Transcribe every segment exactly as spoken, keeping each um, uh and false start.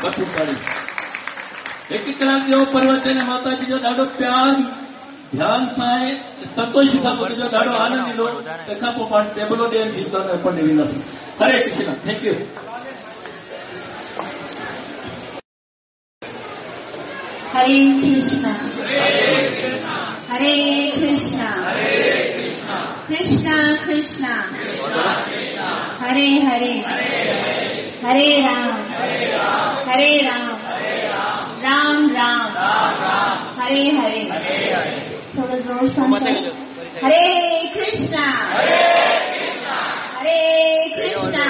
भरपूर ताड़ी। हिकु कलाक जो प्रवचन माता जी जो ॾाढो प्यार ध्यान सां ऐं संतोष सां ॿुधजो, ॾाढो आनंद ईंदो। तंहिंखां पोइ पाण टेबलो ॾियण थी पढ़ी वेंदासीं। Hare Krishna, thank you. Hare Krishna, Hare Krishna, Krishna Krishna, Hare Hare, Hare Ram, Hare Ram, Ram Ram, Hare Hare. थोड़ा जोर से हरे कृष्णा, हरे कृष्णा,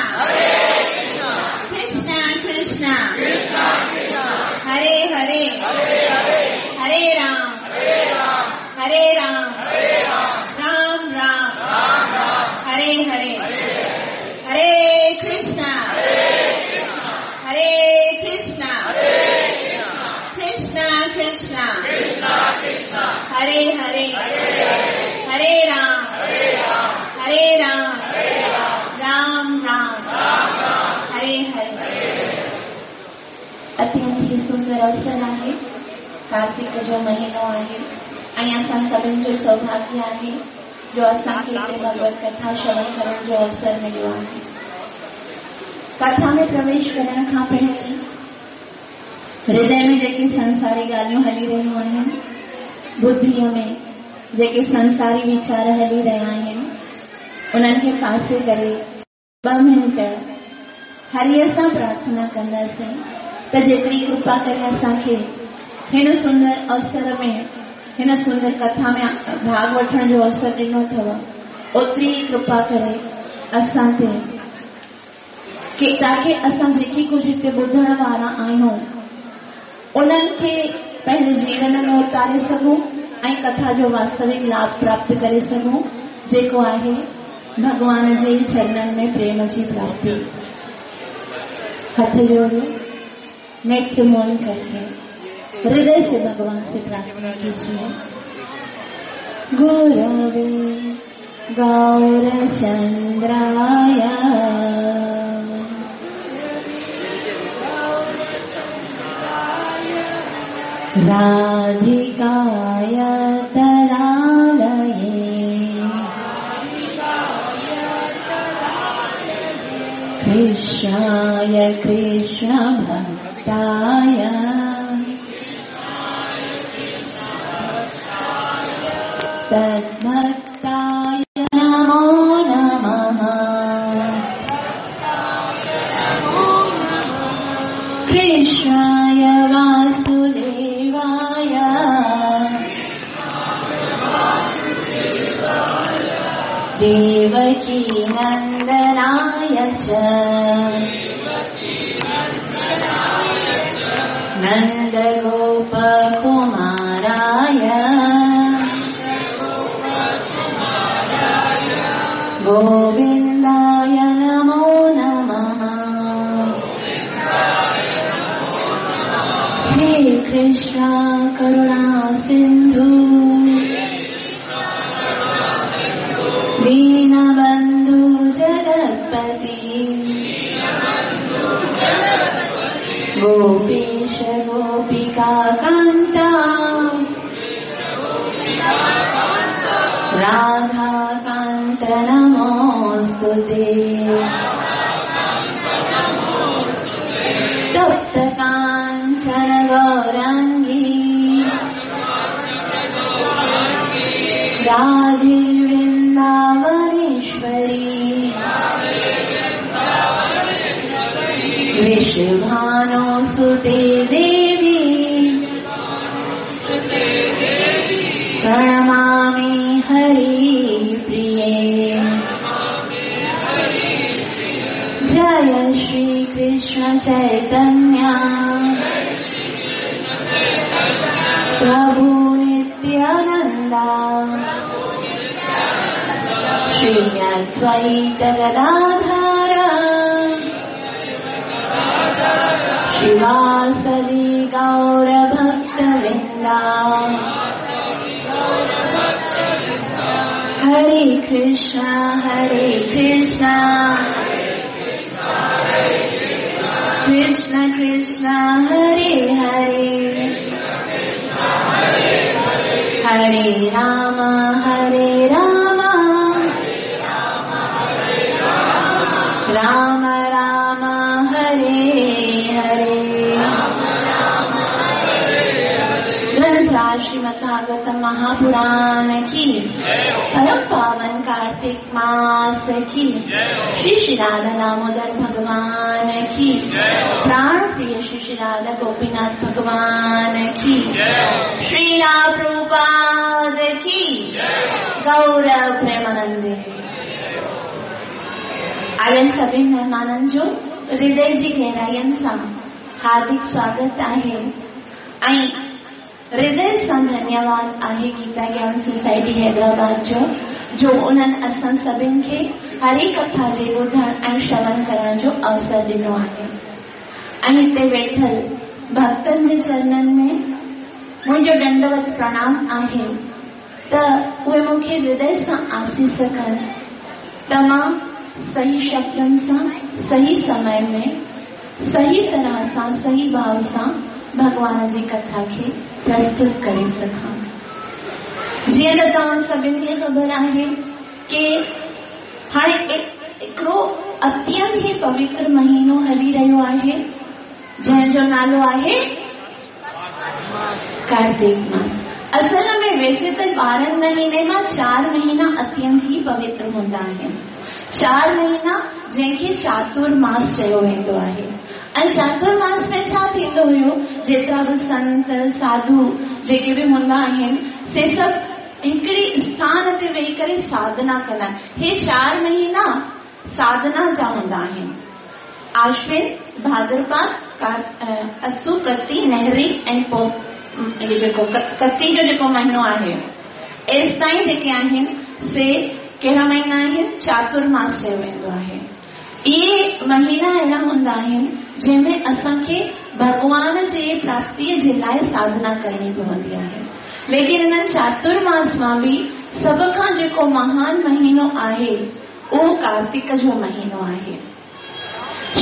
कृष्णा कृष्णा, हरे हरे, हरे राम, हरे राम, राम राम, हरे हरे, हरे कृष्णा, हरे कृष्णा, कृष्णा कृष्णा, हरे हरे, हरे राम, हरे राम, राम राम, हरे हरे। अत्यंत ही सुंदर अवसर आहे, कार्तिक जो महीनो आहे ऐं असां सभिनी जो सौभाग्य आहे जो असांखे हिते भगवत कथा श्रवण करण जो अवसर मिलियो आहे। कथा में प्रवेश करण खां पहिरीं हृदय में जेके संसारी ॻाल्हियूं हली रहियूं आहिनि, बुद्धिअ में जेके संसारी वीचार हली रहिया आहिनि, उन्हनि खे पासे करे ॿ मिंट हरीअ सां प्रार्थना कंदासीं त जेतिरी कृपा करे असांखे हिन सुंदर अवसर में, हिन सुंदर कथा में भाग वठण जो अवसर ॾिनो अथव, ओतिरी कृपा करे असां ते की ताकी असां जेकी कुझु हिते ॿुधण वारा आहियूं उन्हनि खे पंहिंजे जीवन में उतारे सघूं ऐं कथा जो वास्तविक लाभ प्राप्त करे सघूं, जेको आहे भॻवान जे चरणनि में प्रेम जी प्राप्ति। हथ जोड़ो, नेत्र मौन करके हृदय से भगवान से प्रार्थना कीजिए। गुरवे गौरचंद्राय राधिकाय तदालये कृष्णाय कृष्ण भक्ताय तद्भक्ताय नमो नमः। कृष्णाय वासुदेवाय देवकी नन्दनाय च नन्दगोपकुमाराय गोविन्दाय नमो नमः। हे कृष्ण करुणा सिन्धु दीनबन्धु जगत्पति गोपीश गोपिका कान्ता राधा कान्त नमोऽस्तुते। तप्त काञ्चन गौराङ्गी राधे वृन्दावनेश्वरी वृषभानुसुते देवी प्रणमामि हरिप्रिये। जय श्री कृष्ण चैतन्य प्रभु नित्यानंदा श्री अद्वैत गदाधर श्रीवासदि गौर भक्तवृंदा। हरे कृष्णा हरे कृष्णा कृष्ण कृष्ण कृष्ण हरे हरे, हरे राम हरे राम, राम राम हरे हरे। ग्रंथराज श्रीमद् भागवत महापुराण की, परम पावन कार्तिक मास की, श्री श्री राधा दामोदर भगवान की, प्राण प्रिय श्री श्री राधा गोपीनाथ भगवान की, श्री प्रभुपाद की, गौरव प्रेमानंद। आयल सभिनी महिमाननि जो हृदय जी गहराइयुनि सां हार्दिक स्वागत आहे ऐं हृदय सां धन्यवाद आहे गीता ज्ञान सोसाइटी हैदराबाद जो जो उन्हनि असां सभिनी खे हरि कथा जे ॿुधण ऐं श्रवण करण जो अवसर ॾिनो आहे। ऐं हिते वेठल भक्तनि जे चरणनि में मुंहिंजो दंडवत प्रणाम आहे त उहे मूंखे हृदय सां आसीस कनि त मां सही शब्दनि सां, सही समय में, सही तरह सां, सही भाव सां भॻवान जी कथा खे प्रस्तुत करे सघां। जीअं त तव्हां सभिनी खे ख़बर आहे की हाणे हिकिड़ो अत्यंत ई पवित्र महीनो हली रहियो आहे जंहिंजो नालो आहे कार्तिक मास। असल में वैसे त ॿारहं महीने मां चारि महीना अत्यंत ई पवित्र हूंदा आहिनि। चारि महीना जंहिंखे चातुर्मास चयो वेंदो आहे। ऐं चातुर्मास में छा थींदो हुयो, जेतिरा बि संत साधू जेके बि हूंदा आहिनि से सभु हिकिड़ी स्थान ते वेही करे साधना कंदा आहिनि। हे चारि महीना साधना जा हूंदा आहिनि। आश्विन, भाद्रपद, असु, कती, नहरी ऐं पोइ इहो जेको कती जो जेको महीनो आहे, एसि ताईं जेके आहिनि से कहिड़ा महीना आहिनि, चातुर्मास चयो वेंदो आहे। इहे महीना अहिड़ा हूंदा आहिनि जंहिंमें असांखे भॻवान जे प्राप्तीअ जे लाइ साधना करणी पवंदी आहे। लेकिन इन चातुर्मास मां बि सभ खां जेको महान महीनो आहे उहो कार्तिक जो महीनो आहे।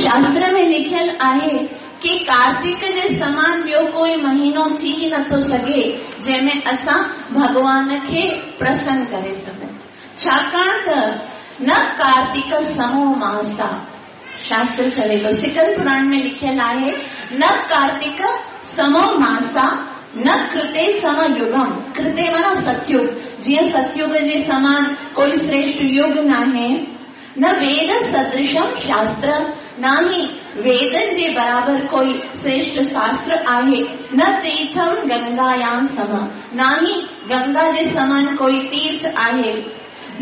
शास्त्र में लिखियल आहे कि कार्तिक जे समान ॿियो कोई महीनो थी नथो सघे जंहिंमें असां भॻवान खे प्रसन्न करे सघूं। छाकाणि त न कार्तिक समो मासा, शास्त्र चवे थो, सिकंद पुराण में लिखियल आहे, न कार्तिक समो मासा न कृते सम युगम। कृते माना सतयुग, जीअं सतयुग जे समान कोई श्रेष्ठ युग नाहे। न वेद सदृशम शास्त्र, न ही वेदनि जे बराबरि कोई श्रेष्ठ शास्त्र आहे। न तीर्थम गंगायाम सम, न ही गंगा जे समान कोई तीर्थ आहे।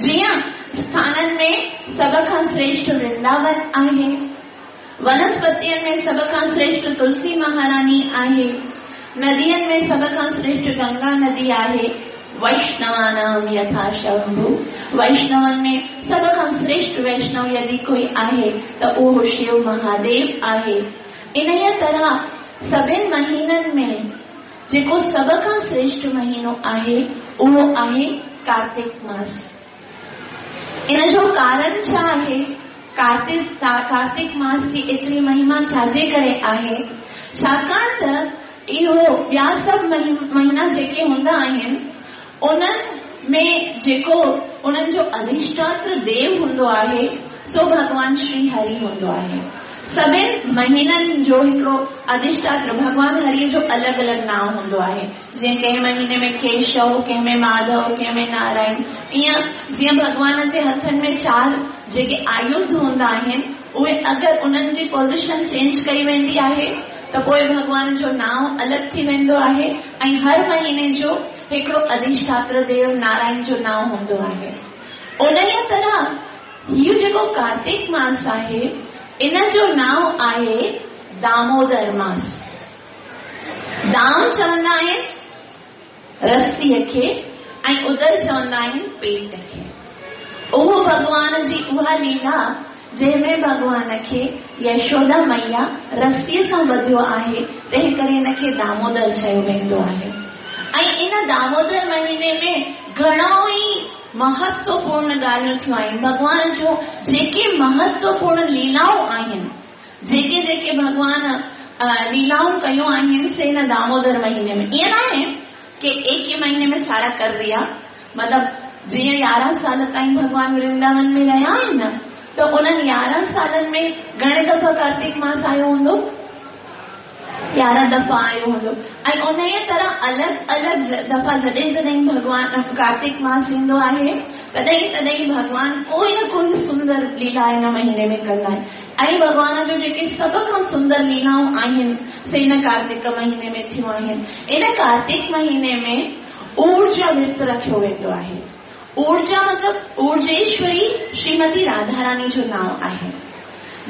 जीअं स्थाननि में सभ खां श्रेष्ठ वृंदावन आहे, वनस्पतियुनि में सभ खां श्रेष्ठ तुलसी महारानी आहे, नदियुनि में सभ खां श्रेष्ठ गंगा नदी आहे। वैष्णवानाम यथा शंभु, वैष्णवनि में सभ खां श्रेष्ठ वैष्णव यदि कोई आहे त उहो शिव महादेव आहे। इन तरह सभिनी महीननि में जेको सभ खां श्रेष्ठ महीनो आहे उहो आहे कार्तिक मास। इन जो कारण छा आहे? कार्तिक कार्तिक मास जी एतिरी महिमा छाजे करे आहे? छाकाणि त इहो ॿिया सभु महीना जेके हूंदा आहिनि उन्हनि में जेको उन्हनि जो अधिष्ठात्र देव हूंदो आहे सो भॻवान श्री हरि हूंदो आहे। सभिनी महीननि जो हिकिड़ो अधिष्ठात्र भॻवान हरिअ जो अलॻि अलॻि नांव हूंदो आहे। जीअं कंहिं महीने में केशव, कंहिं में माधव, कंहिं में नारायण, ईअं जीअं भॻवान जे हथनि में चारि जेके आयुध हूंदा आहिनि उहे अगरि उन्हनि जी पोज़िशन चेंज कई वेंदी आहे त पोइ भॻवान जो नांव अलॻि थी वेंदो आहे ऐं हर महीने जो हिकिड़ो अधिष्ठात्र देव नारायण जो नांव हूंदो आहे। उन तरह हीउ जेको कार्तिक मास आहे इन जो नांव आहे दामोदर मास। दाम चवंदा आहिनि रसीअ खे ऐं उदर चवंदा आहिनि पेट खे। उहो भॻवान जी उहा लीला जंहिंमें भॻवान खे यशोदा मैया रसीअ सां ॿधियो आहे, तंहिं करे हिनखे दामोदर चयो वेंदो आहे। ऐं इन दामोदर महीने में घणो ई महत्वपूर्ण ॻाल्हियूं थियूं आहिनि। भॻवान जूं जेके महत्वपूर्ण लीलाऊं आहिनि, जेके जेके भॻवान लीलाऊं कयूं आहिनि से हिन दामोदर महीने में। ईअं न आहे कि एक ही महीने में सारा कर दिया, मतिलबु जीअं यारहं साल ताईं भॻवान वृंदावन में रहिया आहिनि न, त उन्हनि यारहं सालनि में घणे दफ़ा कार्तिक मास आयो हूंदो? यारहं दफ़ा आयो हूंदो। ऐं उन तरह अलॻि अलॻि दफ़ा जॾहिं जॾहिं भॻवान कार्तिक मास ईंदो आहे तॾहिं तॾहिं भॻवान कोई न कोई सुंदर लीला हिन महीने में कंदा आहिनि। ऐं भॻवान जो जेके सभ खां सुंदर लीलाऊं आहिनि से हिन कार्तिक महीने में थियूं आहिनि। इन कार्तिक महीने में ऊर्जा व्रत रखियो वेंदो आहे। ऊर्जा मतिलबु ऊर्जेश्वरी श्रीमती राधा रानी जो नांव आहे।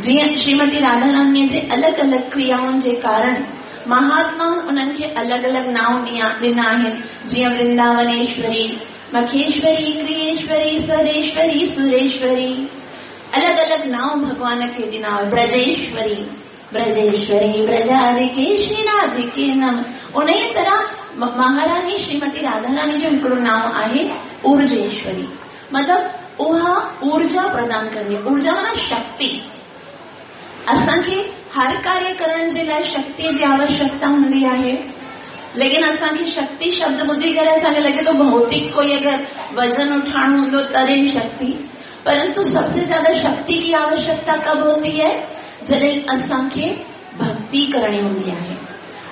जीअं श्रीमती राधा रानीअ जे अलॻि अलॻि क्रियाउनि जे कारण महात्माउनि उन्हनि खे अलॻि अलॻि नांव ॾिना आहिनि, जीअं वृंदावनेश्वरी, मखेश्वरी, क्रियेश्वरी, स्वरेश्वरी, सुरेश्वरी, अलॻि अलॻि नांव भॻवान खे ॾिना। ब्रजेश्वरी, ब्रजेश्वरी ब्रजाधिके श्रीराधिके नम। उन ई तरह महारानी श्रीमती राधा रानी जो हिकिड़ो नांव आहे ऊर्जेश्वरी, मतिलबु उहा ऊर्जा प्रदान कंदी। ऊर्जा माना शक्ति। असांखे हर कार्य करण जे लाइ शक्ति जी आवश्यकता हूंदी आहे, लेकिन असांखे शक्ति शब्द ॿुधी करे असांखे लॻे थो भौतिक कोई अगरि वज़न उठाइणो हूंदो तॾहिं शक्ति, परंतु सबसे ज़्यादा शक्ति की आवश्यकता कब होती है? जॾहिं असांखे भक्ति करणी हूंदी आहे।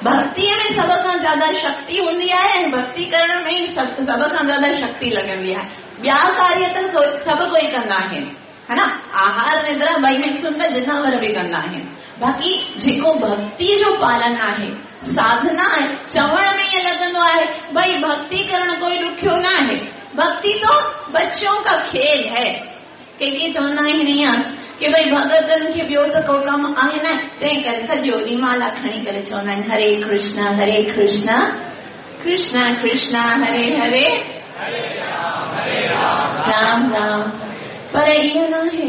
भक्तिअ में सभ खां ज़्यादा शक्ति हूंदी आहे ऐं भक्ति करण में ई सभ खां ज़्यादा शक्ति लॻंदी आहे। ॿिया कार्य त सभु कोई कंदा आहिनि, है ना, आहार निद्रा ॿई मिथुन त जिनावर बि कंदा आहिनि। बाक़ी जेको भक्ति जो पालन आहे, साधना आहे, चवण में ईअं लॻंदो आहे भई भक्ति करणु कोई ॾुखियो न आहे, भक्ति तो बच्चों का खेल है। कंहिंखे चवंदा आहिनि ईअं की भई भॻतनि खे ॿियो त को कमु आहे न, तंहिं करे सॼो ॾींहुं माला खणी करे चवंदा आहिनि हरे कृष्ण हरे कृष्ण कृष्ण कृष्ण हरे हरे राम राम। पर ईअं न आहे।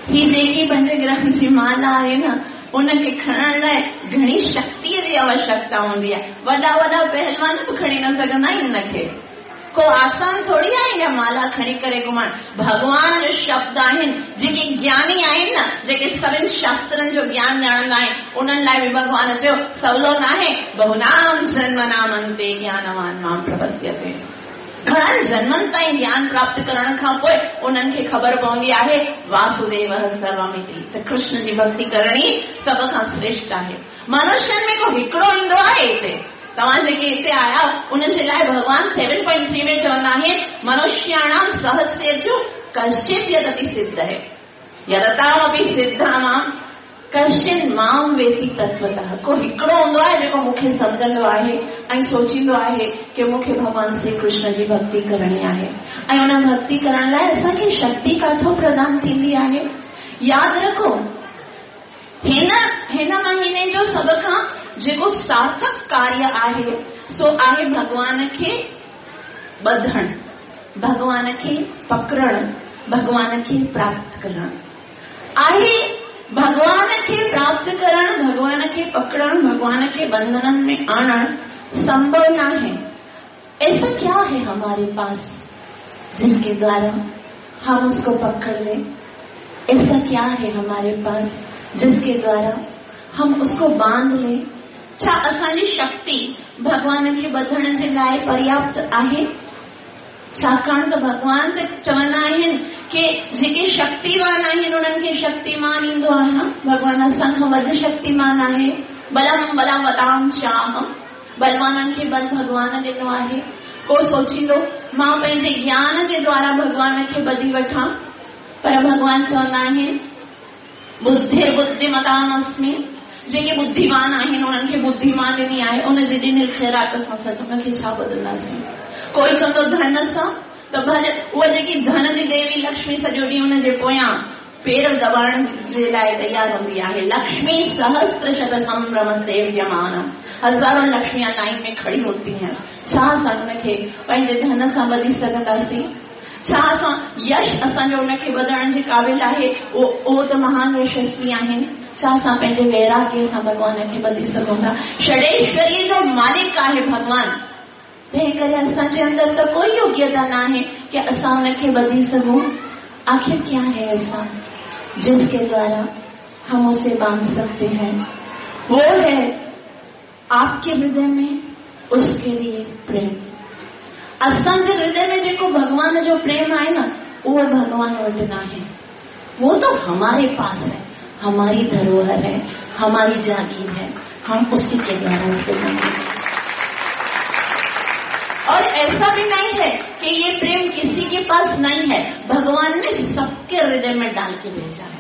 ही जेकी पंज ग्राम जी माला आहे न, उनखे खणण लाइ घणी शक्तिअ जी आवश्यकता हूंदी आहे। वॾा वॾा पहलवान बि खणी न सघंदा आहिनि हुनखे, को आसान थोरी आहे इहा माला खणी करे घुमणु। भॻवान जो शब्द आहिनि, जेके ज्ञानी आहिनि न, जेके सभिनी शास्त्रनि जो ज्ञान ॼाणंदा आहिनि, उन्हनि लाइ बि भॻवान चयो सवलो न आहे, बहुनाम जन्मनाम अन्ते ज्ञानवान मां प्रपद्यते। घणनि जन्मनि ताईं ज्ञान प्राप्त करण खां पोइ उन्हनि खे ख़बर पवंदी आहे वासुदेव सर्वमिति, त कृष्ण जी भक्ति करणी सभ खां श्रेष्ठ आहे। मनुष्यनि में को हिकिड़ो ईंदो आहे हिते, तव्हां जेके हिते आया उन्हनि जे लाइ भॻवान सेवन पॉइंट थ्री में चवंदा आहिनि मनुष्याणाम सहस्रेषु कश्चित् यदति सिद्ध है यदतामपि सिद्धानां कश्चिन मां वेति तत्वतः। को हिकिड़ो हूंदो आहे जेको मूंखे सम्झंदो आहे ऐं सोचींदो आहे की मूंखे भॻवान श्री कृष्ण जी भक्ति करणी आहे, ऐं उन भक्ति करण लाइ असांखे शक्ति काथों प्रदान थींदी आहे। यादि रखो हिन हिन महीने जो सभ खां जेको सार्थक कार्य आहे सो आहे भॻवान खे ॿधणु, भॻवान खे पकड़णु, भॻवान खे प्राप्त करणु आहे। भॻवान खे प्राप्त करणु, भॻवान खे पकड़णु, भॻवान खे बंधननि में आणणु संभव न आहे। ऐसा क्या है हमारे पास जिसके द्वारा हम उसको पकड़ लें? ऐसा क्या है हमारे पास जिसके द्वारा हम उसको बांध लें? छा असांजी शक्ति भॻवान खे ॿधण जे लाइ पर्याप्त आहे? छाकाणि त भॻवान त चवंदा आहिनि की जेके शक्तिवान आहिनि उन्हनि खे शक्तिमान ईंदो आहियां। भॻवान असां खां वधि शक्तिमान आहे। बलम बलवताम चाहम, बलवाननि खे बल भॻवान ॾिनो आहे। को सोचींदो मां पंहिंजे ज्ञान जे द्वारा भॻवान खे ॿधी वठां, पर भॻवान चवंदा आहिनि बुद्धिर बुद्धिमताम अस्मि। जेके बुद्धिमान आहिनि उन्हनि खे बुद्धिमान ॾिनी आहे, उन जे ॾिनियल ख़ैरात सां सच उनखे छा बदिलंदासीं? कोई चवंदो धन सां, त भले उहा जेकी धन जी देवी लक्ष्मी सॼो ॾींहुं हुन जे पोयां पेर दॿाइण जे लाइ तयारु हूंदी आहे। लक्ष्मी सहस्र शत संभ्रम सेव्यमानम, हज़ारों लक्ष्मियां लाइन में खड़ी होती हैं। छा असां हुनखे पंहिंजे धन सां ॿधी सघंदासीं? छा असां यश असांजो हुनखे ॿधण जे क़ाबिल आहे? उहो त महान यशस्वी आहिनि। छा असां पंहिंजे वैराग्य सां भॻवान खे ॿधी सघूं था? षडेश्वरीअ जो मालिक आहे भॻवान, तंहिं करे असांजे अंदरि त कोई योग्यता न आहे की असां हुनखे ॿधी सघूं। आखिर क्या है ऐसा जिसके द्वारा हम उसे बांध सकते हैं? वो है आपके हृदय में उसके लिए प्रेम। असांजे हृदय में जेको भॻवान जो प्रेम आहे न, उहो भॻवान वटि न आहे, वो तो हमारे पास है, हमारी धरोहर है, हमारी जागीर है, हम उसी के द्वारा उसे बनाएंगे। और ऐसा भी नहीं है कि ये प्रेम किसी के पास नहीं है, भगवान ने सबके हृदय में डाल के भेजा है।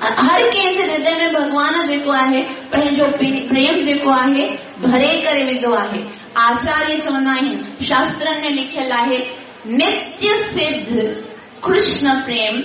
हर कंहिंजे हृदय में भॻवान जेको आहे पंहिंजो प्रेम जेको आहे भरे करे विधो आहे। आचार्य चवंदा आहिनि, शास्त्रनि में लिखियल आहे, नित्य सिद्ध कृष्ण प्रेम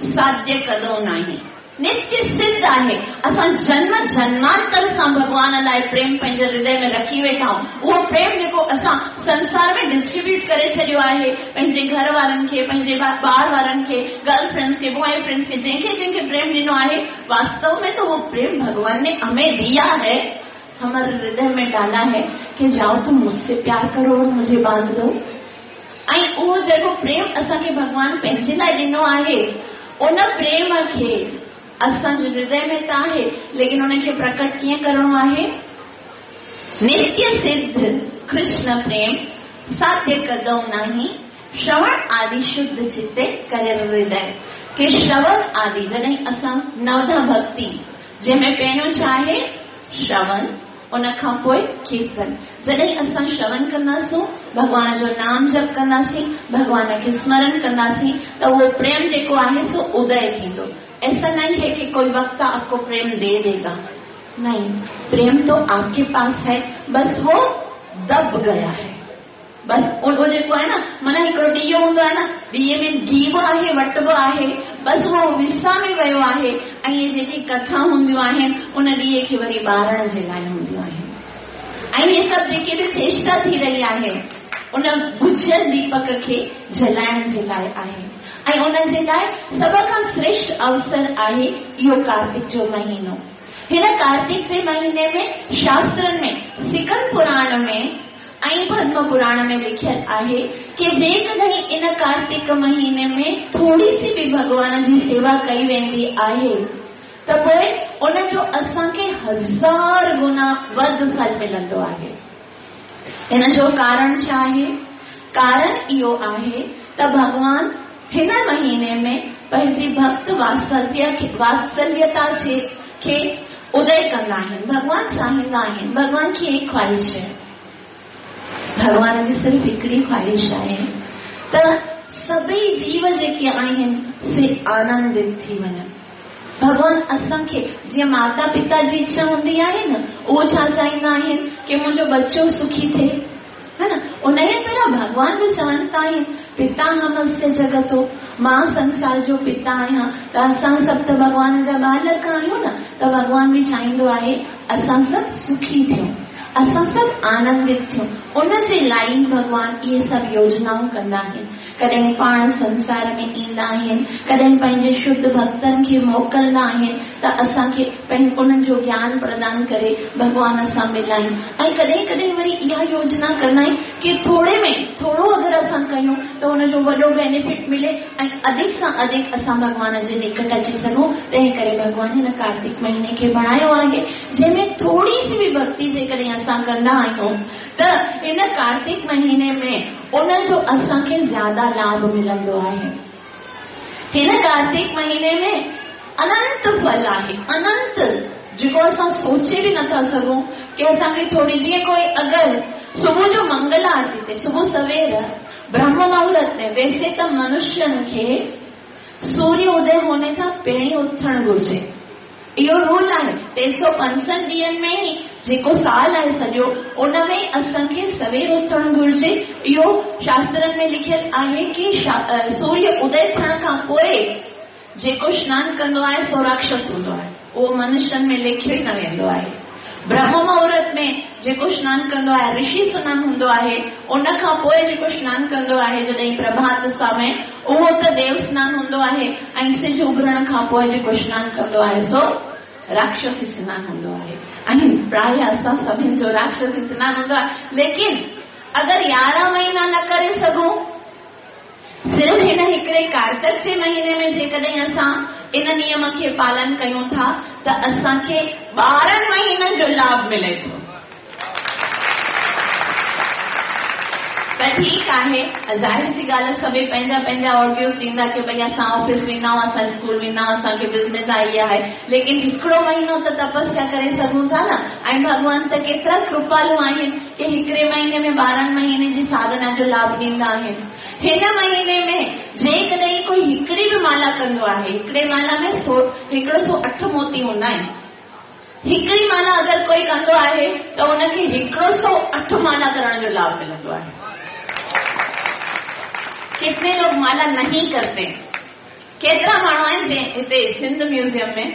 साध्य कदो नाही। नित्य सिद्ध आहे, असां जन्म जन्मांतर सां भॻवान लाइ प्रेम पंहिंजे हृदय में रखी वेठा आहियूं। उहो प्रेम जेको असां संसार में डिस्ट्रीब्यूट करे छॾियो आहे, पंहिंजे घर वारनि खे, पंहिंजे ॿार वारनि खे, गर्लफ्रेंड्स खे, बॉय फ्रेंड्स खे, जंहिंखे जंहिंखे प्रेम ॾिनो आहे, वास्तव में तो वो प्रेम भगवान ने हमें दिया है, हमारे हृदय में डाला है कि जाओ तुम मुझसे प्यार करो और मुझे बांध दो। ऐं उहो जेको प्रेम असांखे भॻवान पंहिंजे लाइ ॾिनो आहे, उन प्रेम खे असांजे हृदय में त आहे, लेकिन उनखे प्रकट कीअं करिणो आहे? नित्य सिद्ध कृष्ण प्रेम साध्य कदो नाही, श्रवण आदि शुद्ध चित्ते करे हृदय। के श्रवण आदि जॾहिं असां नवधा भक्ति जंहिंमें पहिरियों छा आहे? श्रवण, उन खां पोइ कीर्तन। जॾहिं असां श्रवण कंदासूं, भॻवान जो नाम जप कंदासीं, भॻवान खे स्मरण कंदासीं, त उहो प्रेम जेको आहे सो उदय थींदो। ऐसा नहीं है कि कोई वक्ता आपको प्रेम दे देगा, नहीं, प्रेम तो आपके पास है, बस वो दब गया है। बस उहो जेको आहे न, माना हिकिड़ो ॾीओ हूंदो आहे न, ॾीए में घी बि आहे, वटु बि आहे, बसि उहो विसामी वियो आहे। ऐं इहे जेकी कथा हूंदियूं आहिनि उन ॾीए खे वरी ॿारण जे लाइ हूंदियूं आहिनि। ऐं इहे सभु जेके बि चेष्टा थी रही आहे उन बुझियल दीपक खे जलाइण जे लाइ आहे। ऐं उन जे लाइ सभ खां श्रेष्ठ अवसर आहे इहो कार्तिक जो महीनो। हिन कार्तिक जे महीने में शास्त्रनि में, सिकंद पुराण में ऐं पद्म पुराण में लिखियल आहे कि जेकॾहिं इन कार्तिक महीने में थोरी सी बि भॻवान जी सेवा कई वेंदी आहे त पोइ उनजो असांखे हज़ार गुना वधि फल मिलंदो आहे। हिन जो कारण छा आहे? कारण इहो आहे त भॻवान हिन महीने में पंहिंजी भक्त वात्सल्य वात्सल्यता खे उदय कंदा आहिनि। भॻवान चाहींदा आहिनि, भॻवान खे एक ख़्वाहिश आहे, भॻवान जी सिर्फ़ हिकिड़ी ख़्वाहिश आहे त सभई जीव जेके आहिनि से आनंदित थी वञनि। भॻवान असांखे जीअं माता पिता जी इच्छा हूंदी आहे न, उहो छा चाहींदा आहिनि कि मुंहिंजो बच्चो सुखी थिए, है न। उन ई तरह भॻवान बि चवनि था आहिनि, पिता हमस्य जगतो, मां संसार जो पिता आहियां, त असां सभु त भॻवान जा बालक आहियूं न, त भॻवान बि चाहींदो आहे असां सभु सुखी थियूं, असां सभु आनंदित थियूं। उन जे लाइ भॻवान इहे सभु योजनाऊं कंदा आहिनि। कॾहिं पाण संसार में ईंदा आहिनि, कॾहिं पंहिंजे शुद्ध भक्तनि खे मोकिलिंदा आहिनि त असांखे उन्हनि जो ज्ञान प्रदान करे भॻवान सां मिलाइनि। ऐं कॾहिं कॾहिं वरी इहा योजना कंदा आहिनि कि थोरे में थोरो अगरि असां कयूं त हुनजो वॾो बेनिफिट मिले ऐं अधिक सां अधिक असां भॻवान जे निकट अची सघूं। तंहिं करे भॻवान हिन कार्तिक महीने खे बणायो आहे, जंहिंमें थोरी सी बि भक्ति जेकॾहिं असां कंदा आहियूं त इन कार्तिक महीने में उनजो असांखे ज़्यादा लाभ मिलंदो आहे। हिन कार्तिक महीने में अनंत फल आहे, अनंत, जेको असां सोचे बि नथा सघूं कि असांखे थोरी, जीअं कोई अगरि सुबुह जो मंगल आरती ते सुबुह सवेर ब्रह्म मुहूर्त में, वैसे त मनुष्यनि खे सूर्य उदय होने खां पहिरीं उथणु घुरिजे, इहो रूल आहे। टे सौ पंजसठि ॾींहंनि में ई जेको साल आहे सॼो, उन में असांखे सवेर उथणु घुरिजे। इहो शास्त्रनि में लिखियल आहे कि सूर्य उदय थियण खां पोइ जेको स्नान कंदो आहे सो राक्षस हूंदो आहे, उहो मनुष्यनि में लेखियो ई न वेंदो आहे। ब्रह्म मुहूर्त में जेको स्नान कंदो आहे ऋषि स्नान हूंदो आहे, उन खां पोइ जेको स्नान कंदो आहे जॾहिं प्रभात समय, उहो त देव स्नान हूंदो आहे। ऐं सिज उभरण खां पोइ जेको स्नान कंदो आहे सो राक्षसी स्नान हूंदो आहे। ऐं प्राय असां सभिनी जो राक्षसी स्नान हूंदो आहे। लेकिन अगरि यारहं महीना न करे सघूं, सिर्फ़ हिन हिकिड़े कार्तिक जे महीने में जेकॾहिं असां इन नियम खे पालन कयूं था त असांखे ॿारहं महीननि जो लाभ मिले थो। त ठीकु आहे, ज़ाहिर सी ॻाल्हि सभई पंहिंजा पंहिंजा ऑडियोस ॾींदा की भई असां ऑफिस वेंदा आहियूं, असां स्कूल वेंदा आहियूं, असांखे बिज़नेस आहे, इहा आहे, लेकिन हिकिड़ो महीनो त तपस्या करे सघूं था न। ऐं भॻवान त केतिरा कृपालु आहिनि की हिकिड़े महीने में ॿारहं महीने जी साधना जो लाभ ॾींदा आहिनि। हिन महीने में जेकॾहिं कोई हिकिड़ी बि माला कंदो आहे, हिकिड़े माला में सौ हिकिड़ो सौ अठ मोती हूंदा आहिनि। हिकिड़ी माला अगरि कोई कंदो आहे त उनखे हिकिड़ो सौ अठ माला करण जो लाभ मिलंदो आहे। कितने लोग माला नहीं करते? केतिरा माण्हू आहिनि जंहिं हिते सिंध म्यूज़ियम में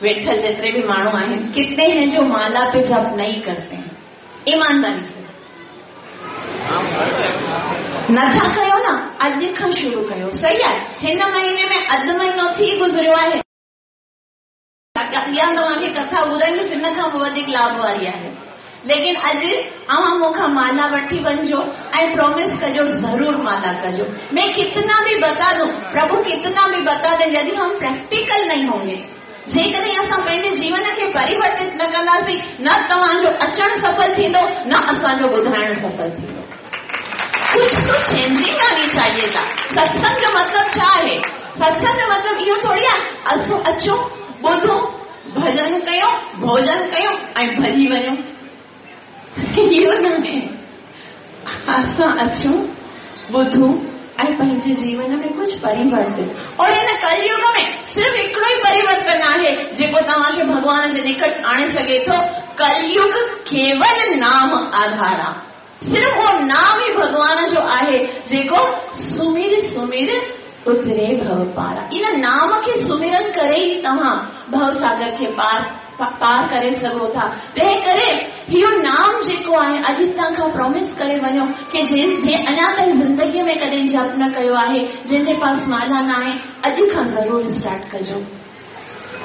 वेठल जेतिरे बि माण्हू आहिनि, कितने हैं जो माला पे जप नहीं करते हैं? ईमानदारी से नथा कयो न, अॼु खां शुरू कयो। सही आहे, हिन महीने में अधु महीनो थी गुज़रियो आहे। अॻियां तव्हांखे कथा ॿुधाईंदुसि, हिन खां बि वधीक लाभ वारी आहे। लेकिन अॼु अव्हां मूंखां माला वठी वञिजो ऐं प्रॉमिस कजो ज़रूर माला कजो। मैं कितना भी बता दूं, प्रभु कितना भी बता दे, यदि हम प्रैक्टिकल नहीं होंगे, जेकॾहिं असां पंहिंजे जीवन खे परिवर्तित न कंदासीं, न तव्हांजो अचणु सफल थींदो, न असांजो ॿुधाइणु सफल थींदो। कुछ तो चेंजिंग आनी चाहिए था। सत्संग जो मतिलबु छा आहे? सत्संग जो मतिलबु इहो थोरी आहे असां अचूं, ॿुधूं, भॼन कयूं, भोजन कयूं ऐं भॼी वञूं। इहो न आहे। असां अचूं, ॿुधूं ऐं पंहिंजे जीवन में कुझु परिवर्तन। और हिन कलयुग में सिर्फ़ हिकिड़ो ई परिवर्तन आहे जेको तव्हांखे भॻवान जे निकट आणे सघे थो। कलयुग केवल नाम आधार आहे, सिर्फ़ उहो नाम ई भॻवान जो आहे जेको सुमिर सुमिर उतरे भव पारा। इन नाम खे सुमिरन करे ई तव्हां भवसागर खे पार पार करे सघो था। तंहिं करे इहो नाम जेको आहे, अॼु हितां खां प्रॉमिस करे वञो की जंहिं अञा ताईं ज़िंदगीअ में कॾहिं जप न कयो आहे, जंहिंजे पास माला न आहे, अॼु खां ज़रूरु स्टार्ट कजो।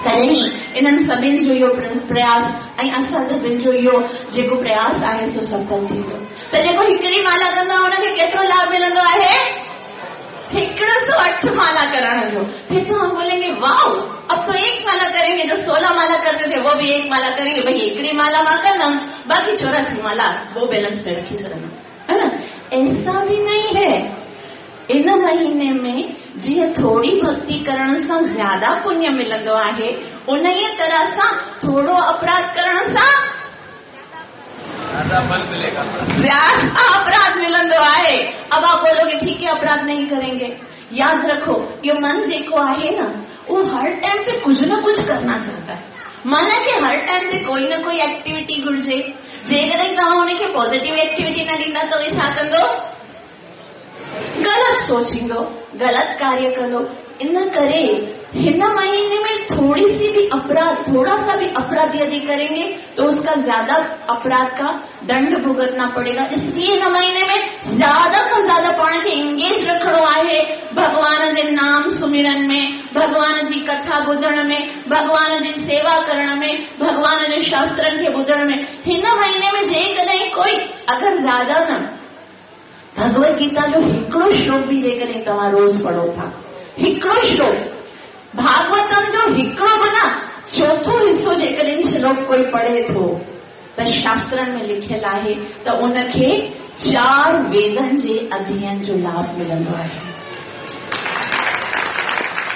तॾहिं इन्हनि सभिनी जो इहो प्रयास ऐं असां सभिनी जो इहो जेको प्रयास आहे सो सफल थींदो। त जेको हिकिड़ी माला कंदो आहे हुनखे केतिरो लाभ मिलंदो आहे? हिकिड़ो सौ अठ माला करण जो। फिर तो हम बोलेंगे वाओ, अब तो एक माला करेंगे, जो सोलह माला करते थे वो भी एक माला करेंगे, भाई हिकिड़ी माला मां कंदमि, बाक़ी चौरासी माला वो बैलेंस में रखी छॾंदमि, है ना? ऐसा भी नहीं है। इन महीने में जीअं थोरी भक्ति करण सां ज़्यादा पुण्य मिलंदो आहे, उन ई तरह सां थोरो अपराध करण सां ज़्यादा अपराध मिलंदो आहे। अब आप बोलोगे ठीक है अपराध नहीं करेंगे। याद रखो यो मन जेको आहे न, वो हर टाइम पे कुछ न कुछ करना चाहता है। मन खे हर टाइम पे कोई न कोई एक्टिविटी घुर्जे। जेकॾहिं तव्हां हुनखे पॉज़िटिव एक्टिविटी न ॾींदा त उहे छा कंदो? ग़लति सोचींदो, ग़लति कार्य कंदो। इन करे हिन महीने में थोड़ी सी भी अपराध, थोड़ा सा भी अपराध यदि करेंगे तो उसका ज्यादा अपराध का दंड भुगतना पड़ेगा। इसलिए हिन महीने में ज्यादा खां ज्यादा पाण खे एंगेज रखणो आहे भॻवान जे नाम सुमिरन में, भॻवान जी कथा ॿुधण में, भॻवान जी सेवा करण में, भॻवान जे शास्त्रनि खे ॿुधण में। हिन महीने में जेकॾहिं कोई अगरि ज़्यादा न भगवत गीता जो हिकिड़ो श्लोक बि जेकॾहिं तव्हां रोज़ पढ़ो था, हिकिड़ो श्लोक भागवतम जो हिकिड़ो बि न चोथों हिसो जेकॾहिं श्लोक कोई पढ़े थो त शास्त्रनि में लिखियलु आहे त उनखे चार वेदनि जे अध्ययन जो लाभ मिलंदो आहे।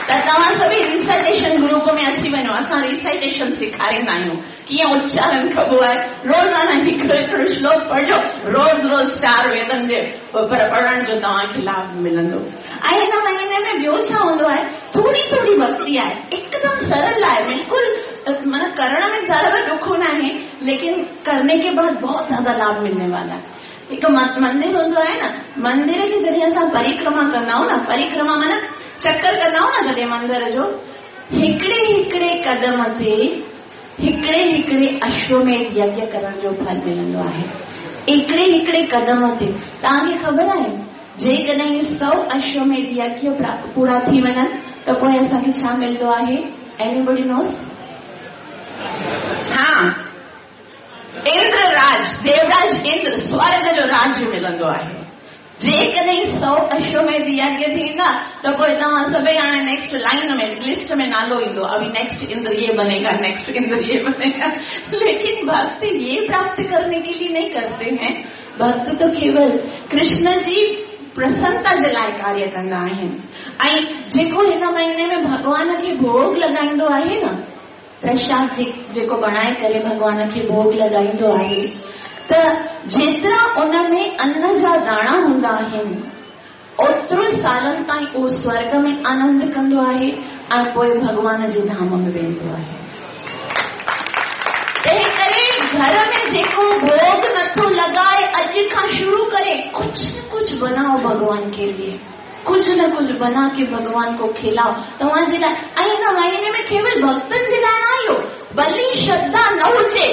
त तव्हां सभई रिसाइटेशन ग्रुप में अची वञो, असां रिसाइटेशन सेखारींदा आहियूं कीअं उच्चारण कबो आहे। रोज़ाना हिकिड़ो हिकिड़ो श्लोक पढ़िजो, रोज़ रोज़ चार वेदनि जे पढ़ण जो तव्हांखे लाभ मिलंदो। ऐं हिन महीने में ॿियो छा हूंदो आहे, थोरी थोरी भक्ति आहे, एकदम सरल आहे, बिल्कुलु माना करण में ज़रा बि ॾुखो न आहे, लेकिन करने के बाद बहुत ज़्यादा लाभ मिलने वाला है। हिकु मंदिर हूंदो आहे न, मंदिर खे जॾहिं असां परिक्रमा कंदा आहियूं न, परिक्रमा माना चक्कर कंदा आहियूं न जॾहिं मंदिर जो, हिकिड़े हिकिड़े कदम ते हिकिड़े हिकिड़े अश्वमेध यज्ञ करण जो फल मिलंदो आहे। हिकिड़े हिकिड़े कदम ते तव्हांखे ख़बर आहे जेकॾहिं सौ अश्वमेध यज्ञ पूरा थी वञनि त पोइ असांखे छा मिलंदो आहे? Anybody knows? हा, इंद्र राज, देवराज इंद्र, स्वर्ग जो राज्य मिलंदो आहे। जेकॾहिं सौ अश्वमेध यज्ञ थींदा त पोइ तव्हां सभई हाणे नेक्स्ट लाइन में लिस्ट में नालो ईंदो, अभी नेक्स्ट इंद्र ये बनेगा, नेक्स्ट इंद्र ये बनेगा। लेकिन भक्त ये प्राप्त करने के लिए नहीं करते हैं। भक्त तो केवल कृष्ण जी प्रसन्नता जे लाइ कार्य कंदा आहिनि। ऐं जेको हिन महीने में भॻवान खे भोग लॻाईंदो आहे न, प्रसाद जे, जेको बणाए करे भॻवान खे भोग लॻाईंदो आहे, त जेतिरा उन में अन्न जा दाणा हूंदा आहिनि ओतिरो सालनि ताईं उहो स्वर्ग में आनंद कंदो आहे ऐं पोइ भॻवान जे धाम में वेंदो आहे। तंहिं करे घर में जेको भोग नथो लॻाए अॼु खां शुरू करे कुझु न कुझु बनाओ भॻवान के लिए, कुझु न कुझु बना के भॻवान को खिलाओ तव्हांजे लाइ। ऐं हिन महीने में केवल भक्तनि जे लाइ न आयो, भली श्रद्धा न हुजे,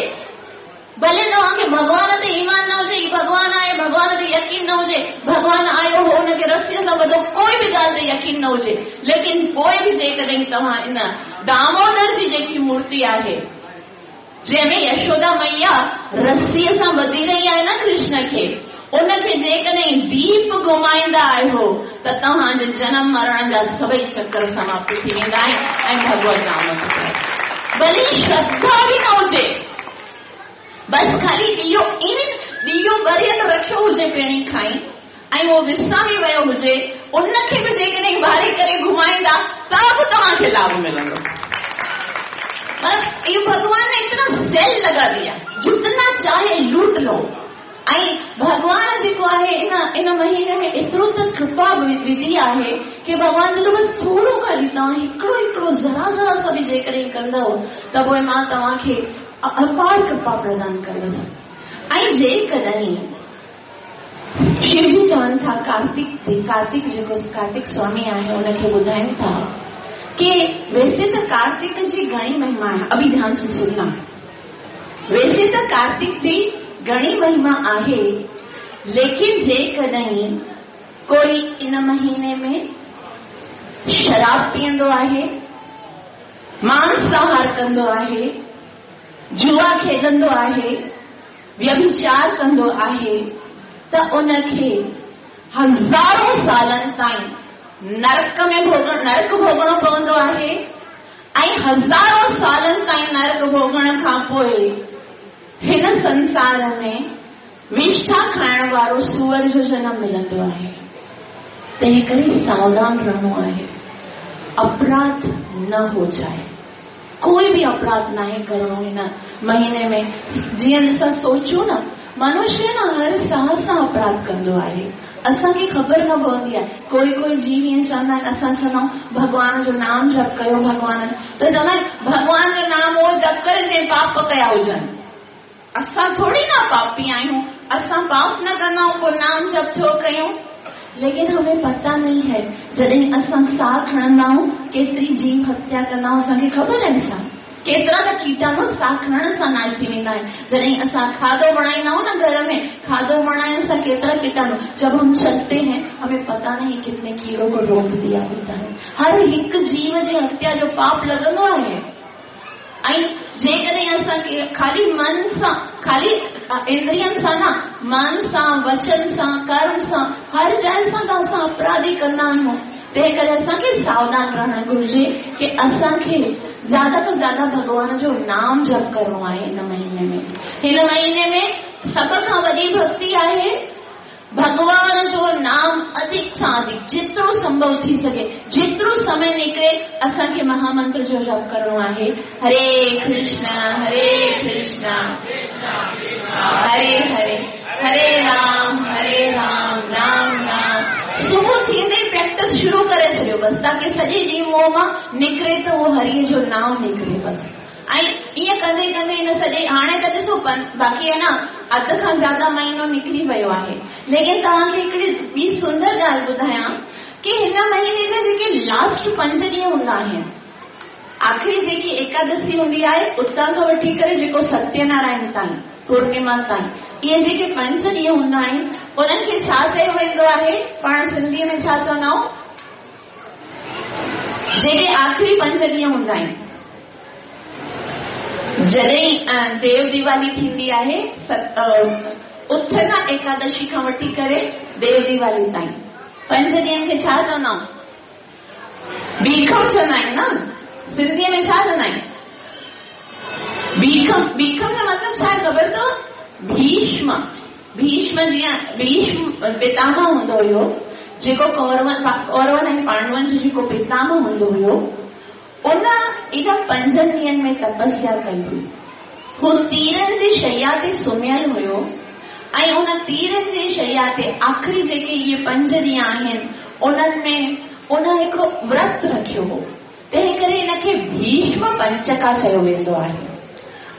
भले तव्हांखे भॻवान ते ईमान न हुजे, हीउ भॻवान आहे, भॻवान ते यकीन न हुजे, भॻवान आयो हो हुनखे रसीअ सां ॿधो, कोई बि ॻाल्हि ते यकीन न हुजे, लेकिन पोइ बि जेकॾहिं तव्हां इन दामोदर जी जेकी मूर्ति आहे जंहिंमें यशोदा मैया रसीअ सां ॿधी रही आहे न कृष्ण खे, उनखे जेकॾहिं दीप घुमाईंदा आहियो त तव्हांजे जनम मरण जा सभई चक्कर समाप्त थी वेंदा आहिनि ऐं भगवत नाम भली श्रद्धा बि न हुजे, बसि ख़ाली ॾियो इन ॾियो ॿरियल रखियो हुजे पहिरीं खां ई ऐं उहो विसामी वियो हुजे, उनखे बि जेकॾहिं ॿारे करे घुमाईंदा त बि तव्हांखे लाभ मिलंदो। ये भगवान ने इतना सेल लगा दिया, जितना चाहे लूट लो। ऐं भॻवान जेको आहे इन इन महीने में एतिरो त कृपा विधी आहे की भॻवान चवंदो बसि थोरो ख़ाली तव्हां हिकिड़ो हिकिड़ो ज़रा ज़रा सां बि जेकॾहिं कंदव त पोइ मां तव्हांखे अपार कृपा प्रदान कंदुसि। ऐं जेकॾहिं शिवजी चवनि था कार्तिक कार्तिक जेको कार्तिक स्वामी आहे उनखे ॿुधाइनि था कि वैसे त कार्तिक जी घणी महिमा आहे, अभी ध्यान से सुनना, वैसे त कार्तिक जी घणी महिमा आहे, लेकिन जेकॾहिं कोई इन महीने में शराब पीअंदो आहे, मांसाहार कंदो आहे, जुआ खेॾंदो आहे, व्यभिचार कंदो आहे, त उनखे हज़ारों सालनि ताईं नरक में भोगण नरक भोगणो पवंदो आहे ऐं हज़ारों सालनि ताईं नरक भोगण खां पोइ हिन संसार में विष्ठा खाइण वारो सूअर जो जनम मिलंदो आहे। तंहिं करे सावधान रहणो आहे, अपराध न हो जाए, कोई बि अपराध नाहे करिणो हिन महीने में। जीअं असां सोचूं न, मनुष्य न हर साह सां अपराध कंदो आहे, असांखे ख़बर न पवंदी आहे। कोई कोई जीव ईअं चवंदा आहिनि, असां चवंदा आहियूं भॻवान जो नाम जप कयो भॻवान, त चवंदा आहिनि भॻवान जो नाम उहो जप करे जंहिं पाप कया हुजनि। असां थोरी न पापी आहियूं, असां पाप न कंदा आहियूं, पोइ नाम जप छो कयूं? लेकिन हमें पता नहीं है, जॾहिं असां साह खणंदा आहियूं केतिरी जीव हत्या कंदा आहियूं असांखे ख़बर आहे छा? केतिरा त कीटाणु साह खणण सां नाश थी वेंदा आहिनि। जॾहिं असां खाधो बणाईंदा आहियूं न घर में, खाधो बणाइण सां केतिरा कीटाणु, जब हम चलते हैं हमें पता नहीं कितने कीड़ों को रोक दिया होता है। हर हिकु जीव जे हत्या जो पाप लॻंदो आहे। ऐं जेकॾहिं असांखे ख़ाली मन सां, ख़ाली इंद्रियनि सां न, मन सां, वचन सां, कर्म सां, हर जाइ सां त असां अपराधी कंदा आहियूं। तंहिं करे असांखे सावधान रहणु घुरिजे की असांखे ज़्यादा खां ज़्यादा भॻवान जो नाम जप करिणो आहे हिन महीने में। हिन महीने में सभ खां वॾी भक्ति आहे भॻवान जो नाम अधिक सां अधिक, जेतिरो संभव थी सघे, जेतिरो समय निकिरे असांखे महामंत्र जो जप करिणो आहे, हरे कृष्ण हरे कृष्ण हरे हरे हरे राम हरे राम राम राम। सुबुह थींदे ई प्रैक्टिस शुरू करे छॾियो बसि, ताकी सॼे ॾींहुं मुंहं मां निकिरे त उहो हरीअ जो नाम निकिरे बसि। ऐं ईअं कंदे कंदे हिन सॼे हाणे त ॾिसो बाक़ी आहे न अधु खां ज़्यादा महीनो निकिरी वियो आहे। लेकिन तव्हांखे हिकिड़ी ॿी सुंदर ॻाल्हि ॿुधायां की हिन महीने जा जेके लास्ट पंज ॾींहं हूंदा आहिनि, आख़िरी जेकी एकादशी हूंदी आहे उतां खां वठी करे जेको सत्यनारायण ताईं, पूर्णिमा ताईं, इहे जेके पंज ॾींहं हूंदा आहिनि उन्हनि खे छा चयो वेंदो आहे? पाण सिंधीअ में छा चवंदा आहियूं? जेके आख़िरी पंज ॾींहं हूंदा आहिनि, जॾहिं देव दिवाली थींदी आहे, उत्थना एकादशी खां वठी करे देव दिवाली ताईं पंज ॾींहनि खे छा चवंदा आहियूं? बीखम चवंदा आहिनि न? सिंधीअ में छा चवंदा आहिनि? बीखम। बीखम जो मतिलबु छा आहे ख़बर अथव? भीष्म। भीष्म जीअं भीष्म पितामह हूंदो हुयो, जेको कौरवन कौरवन ऐं पांडवनि जो जेको पितामह हूंदो हुयो, उन इन पंजनि ॾींहंनि में तपस्या कई हुई। हू तीरनि जी शैया ते सुम्हियल हुयो ऐं उन तीरनि जी शैया ते आख़िरी जेके इहे पंज ॾींहं आहिनि उन्हनि में उन हिकिड़ो व्रत रखियो हो, तंहिं करे हिनखे भीष्म पंचका चयो वेंदो आहे।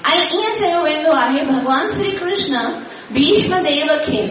ऐं ईअं चयो वेंदो आहे भॻवान श्री कृष्ण भीष्म देव खे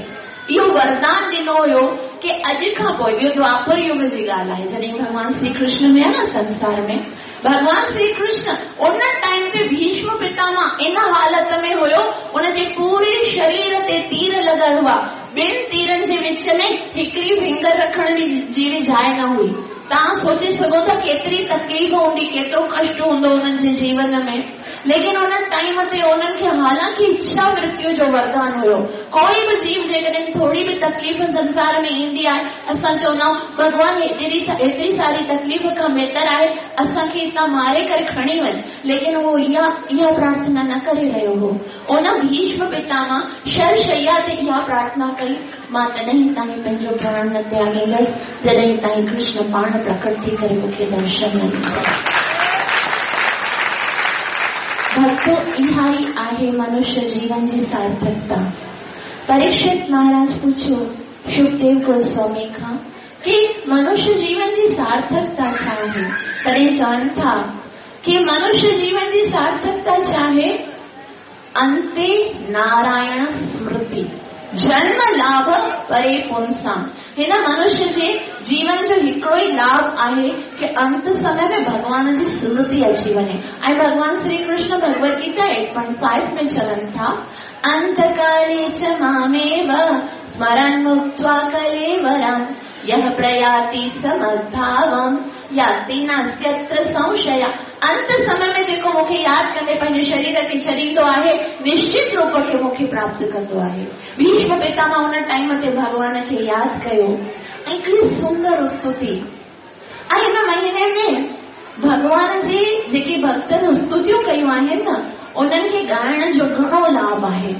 इहो वरदान ॾिनो हुयो की अॼु खां पोइ, इहो द्वापर युग जी ॻाल्हि आहे, जॾहिं भॻवान श्री कृष्ण हुया न संसार में, भॻवान श्री कृष्ण उन टाइम ते भीष्म पितामह इन हालत में हुयो, उनजे पूरे शरीर ते तीर लॻल हुआ, ॿिनि तीरनि जे विच में हिकिड़ी फिंगर रखण जी बि जाइ न हुई। तव्हां सोचे सघो था केतिरी तकलीफ़ हूंदी, केतिरो कष्ट हूंदो उन्हनि जे जीवन में। लेकिन उन टाइम ते उन्हनि खे हालांकि इच्छा मृत्यु जो वरदान हुयो। कोई बि जीव जेकॾहिं थोरी बि तकलीफ़ संसार में ईंदी आहे, असां चवंदा आहियूं भॻवान हेतिरी हेतिरी सारी तकलीफ़ खां बहितर आहे असांखे हितां मारे करे खणी वञ, लेकिन उहो इहा इहा प्रार्थना न करे रहियो हो। उन भीष्म पितामह शरशैया ते इहा प्रार्थना कई, मां तॾहिं ताईं पंहिंजो प्राण न त्यागींदसि जॾहिं ताईं कृष्ण पाण प्रकट थी करे मूंखे दर्शन न ॾींदा। भक्तो, इहा ई आहे मनुष्य जीवन जी सार्थकता। परीक्षित महाराज पुछियो सुखदेव गोस्वामी खां कि मनुष्य जीवन जी सार्थकता छा आहे? तॾहिं चवनि था कि मनुष्य जीवन जी सार्थकता छा आहे? अंते नारायण स्मृति, जन्म लाभ परे पुंसां। हिन मनुष्य जे जीवन जो हिकिड़ो ई लाभ आहे कि अंत समय में भॻवान जी स्मृति अची वञे। ऐं भॻवान Shri Krishna Bhagavad Gita eight point five में चवनि था, अंतकाले च मामेव स्मरन् मुक्त्वा कलेवरं यः प्रयाति समद्भावं याति नास्त्यत्र संशय। अंत समय में जेको मूंखे यादि कंदे पंहिंजे शरीर खे छॾींदो आहे, निश्चित रूप खे मूंखे प्राप्त कंदो आहे। भीष्म पितामह उन टाइम ते भॻवान खे यादि कयो ऐं हिकिड़ी सुंदर स्तुति। ऐं हिन महीने में भॻवान जे जेके भक्तनि स्तुतियूं कयूं आहिनि न, उन्हनि खे ॻाइण जो घणो लाभ आहे।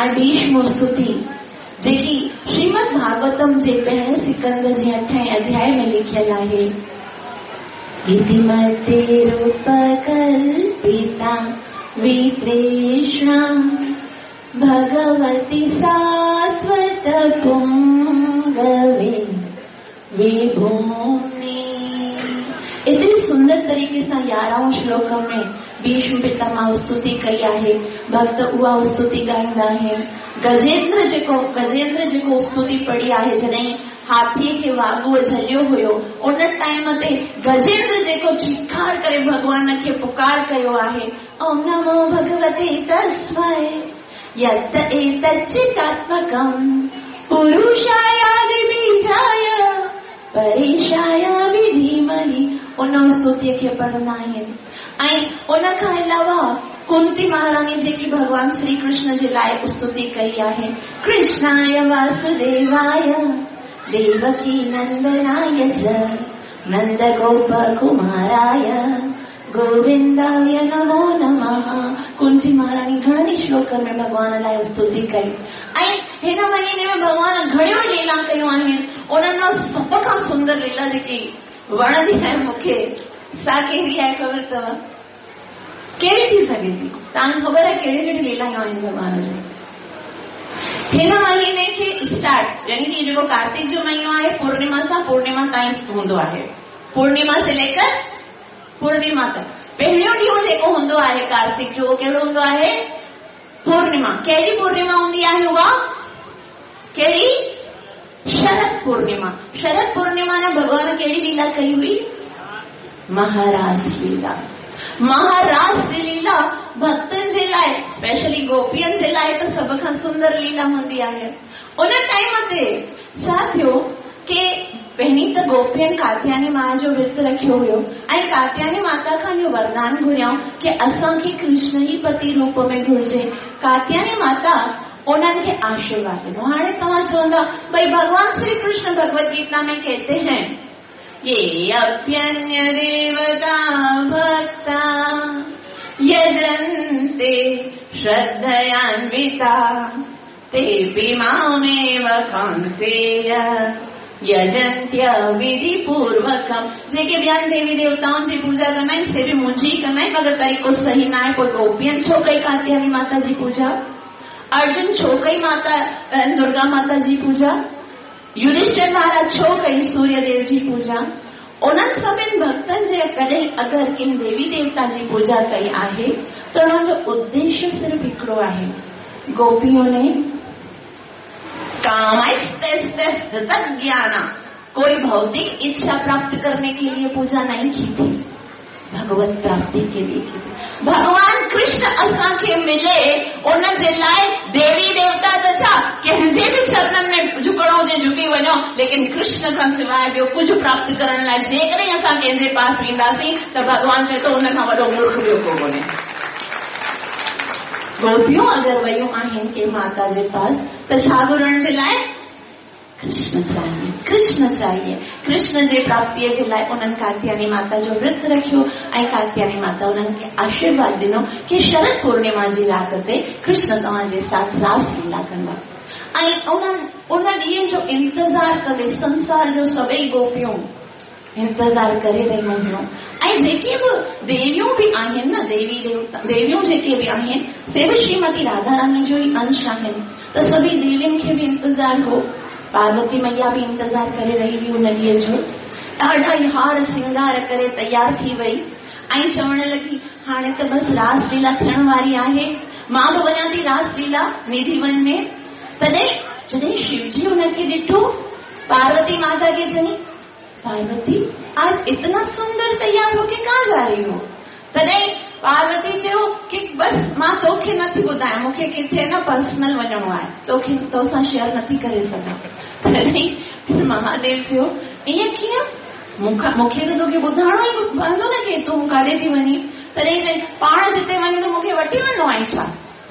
ऐं भीष्म स्तुति जेकी श्रीमद भागवतम जे पहिरें सिकंद जे अठें अध्याय में लिखियल आहे, इति मते रूपकल्पिता वितृष्णा भगवती सात्वत पुंगवे विभूमि। एतिरी सुंदर तरीक़े सां यारहं श्लोक में भीष्म पितामह स्तुति कई आहे। भक्त उहा स्तुति ॻाईंदा आहिनि। गजेंद्र जेको गजेंद्र जेको स्तुति पढ़ी आहे, जॾहिं हाथीअ खे वाघूअ झलियो हुयो, उन टाइम ते गजेंद्र जेको चिकार करे भॻवान खे पुकार कयो आहे, ओम नमो भगवते तस्मै यत् एतच्चिदात्मकं पुरुषायादिबीजाय परेशाय विधीमहि। उन स्तुतीअ खे पढ़ंदा आहिनि। ऐं उन खां अलावा कुंती महारानी जेकी भॻवान श्री कृष्ण जे लाइ स्तुति कई आहे, कृष्णाय वासुदेवाय देवकी नंदनाय च नंदगोपकुमाराय गोविंदाय नमो नमः। कुंती महारानी घणनि श्लोकनि में भॻवान लाइ स्तुति कई। ऐं हिन महीने में भॻवान घणियूं लीला कयूं आहिनि। उन्हनि मां सभ खां सुंदर लीला जेकी वणंदी आहे मूंखे, सा कहिड़ी आहे ख़बर अथव? कहिड़ी थी सघे थी? तव्हांखे ख़बर आहे कहिड़ी कहिड़ी लीलायूं आहिनि भॻवान जूं? हिन महीने खे स्टार्ट, यानी कि जेको कार्तिक जो महीनो आहे, पूर्णिमा सां पूर्णिमा ताईं हूंदो आहे। पूर्णिमा से लेकर पूर्णिमा तक पहिरियों ॾींहुं जेको हूंदो आहे कार्तिक जो, उहो कहिड़ो हूंदो आहे? पूर्णिमा। कहिड़ी पूर्णिमा हूंदी आहे उहा? कहिड़ी? शरद पूर्णिमा। शरद पूर्णिमा में भॻवान कहिड़ी लीला कई हुई? महारास लीला। महारास लीला भक्तनि जे लाइ, स्पेशली गोपियनि जे लाइ त सभ खां सुंदर लीला हूंदी आहे। उन टाइम ते छा थियो कि पहिरीं त गोपियनि कात्यायनी मां जो व्रत रखियो हुयो ऐं कात्यायनी माता खां इहो वरदान घुरियऊं कि असांखे कृष्ण ई पति रूप में घुर्जे। कात्यायनी माता उन्हनि खे आशीर्वाद ॾिनो। हाणे तव्हां चवंदा भई भगवान श्री कृष्ण भगवत गीता में कहते हैं ये अप्यन्य देवता भक्ता यजन्ते श्रद्धयान्विता तेऽपि मामेव कौन्तेय यजन्त्य विधिपूर्वकम्। जेके ॿियनि देवी देवताउनि जी पूजा कंदा आहिनि से बि मुंहिंजी ई कंदा आहिनि, मगर तरीक़ो सही न आहे। पोइ गोपियनि छो कई कात्यायनी माता जी पूजा, अर्जुन छो कई माता दुर्गा माता जी पूजा, युधिष्ठिर महाराज छो कई सूर्यदेव जी पूजा। उन्हनि सभिनि भक्तनि जे कॾहिं अगरि कंहिं देवी देवता जी पूजा कई आहे त उन्हनि जो उद्देश्य सिर्फ़ु हिकिड़ो आहे। गोपियों ने कामैस्तज्ञाना, कोई भौतिक इच्छा प्राप्त करने के लिए पूजा नहीं की थी, भगवत प्राप्ति के लिए की थी। भगवान कृष्ण असांखे मिले उन जे लाइ देवी देवता त छा कंहिंजे बि चरणनि में झुकणो हुजे झुकी वञो, लेकिन कृष्ण खां सवाइ ॿियो कुझु प्राप्त करण लाइ जेकॾहिं असां कंहिंजे पास वेंदासीं त भॻवान चए थो उन खां वॾो मूर्ख ॿियो को कोन्हे। गोपियूं अगरि वयूं आहिनि कंहिं माता जे पास त छा घुरण जे लाइ? कृष्ण चाहिए, कृष्ण चाहिए। कृष्ण जे प्राप्तीअ जे लाइ उन्हनि कात्यायनी माता जो व्रत रखियो ऐं कात्यायनी माता उन्हनि खे आशीर्वाद ॾिनो की शरद पूर्णिमा जी राति ते कृष्ण तव्हांजे साथ रास लीला कंदा। ऐं उन्हनि उन ॾींहं जो इंतज़ार कंदे संसार जो सभई गोपियूं इंतज़ार करे रहियूं हुयूं। ऐं जेके बि देवियूं बि आहिनि न, देवी देवता देवियूं जेके बि आहिनि से बि श्रीमती राधा रानी जो ई अंश आहिनि, त सभई देवियुनि खे बि इंतज़ार हो। पार्वती मैया बि इंतज़ार करे रही हुई उन ॾींहं जो। ॾाढा ई हार सिंगार करे तयार थी वई ऐं चवण लॻी हाणे त बसि रास लीला थियण वारी आहे, मां बि वञा थी रास लीला निधि वन में। तॾहिं जॾहिं शिवजी हुनखे ॾिठो, पार्वती माता खे चई, पार्वती आज इतना सुंदर तैयार होके कहाँ जा रही हो? तॾहिं पार्वती चयो कि बसि मां तोखे नथी ॿुधायां, मूंखे किथे न पर्सनल वञिणो आहे, तोखे तोसां शेयर नथी करे सघां। तॾहिं महादेव चयो ईअं कीअं, मूंखां मूंखे त तोखे ॿुधाइणो ई पवंदो न की तूं काॾे थी वञी। तॾहिं चई पाण जिते वञी त मूंखे वठी वञिणो आहे छा?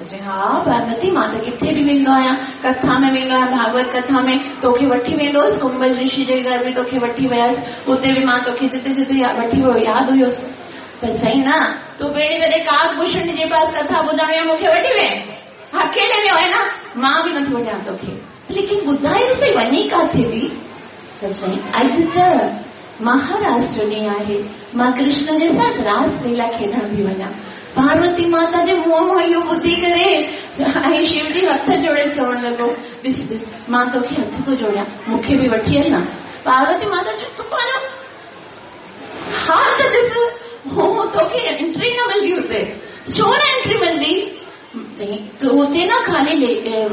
चई हा पार्वती, मां त किथे बि वेंदो आहियां, कथा में वेंदो आहियां, भागवत कथा में तोखे वठी वेंदो हुउसि, कुंभज ऋषि जे घर बि तोखे वठी वियुसि, उते बि मां तोखे जिते जिते वठी वियो यादि हुयोसि। त चई न तूं पहिरीं जॾहिं काकभूषण जे पास कथा ॿुधण वियो मूंखे वठी विए, अकेले वियो आहे न, मां बि नथी वञा तोखे, लेकिन ॿुधाए त सही वञी काथे थी? त चई अॼु त महाराष्ट्र ॾींहुं आहे, मां कृष्ण जे साथ रास लीला खेॾण थी वञा। पार्वती माता जे मुंहं मां इहो ॿुधी करे ऐं शिवजी हथ जोड़े चवण लॻो, ॾिस ॾिस मां तोखे हथ थो जोड़ियां, मूंखे बि वठी हल न। पार्वती माता चयो तूं पंहिंजो हाल त ॾिस, हो तोखे एंट्री न मिलंदी हुते, छो न एंट्री मिलंदी? त हुते न खाली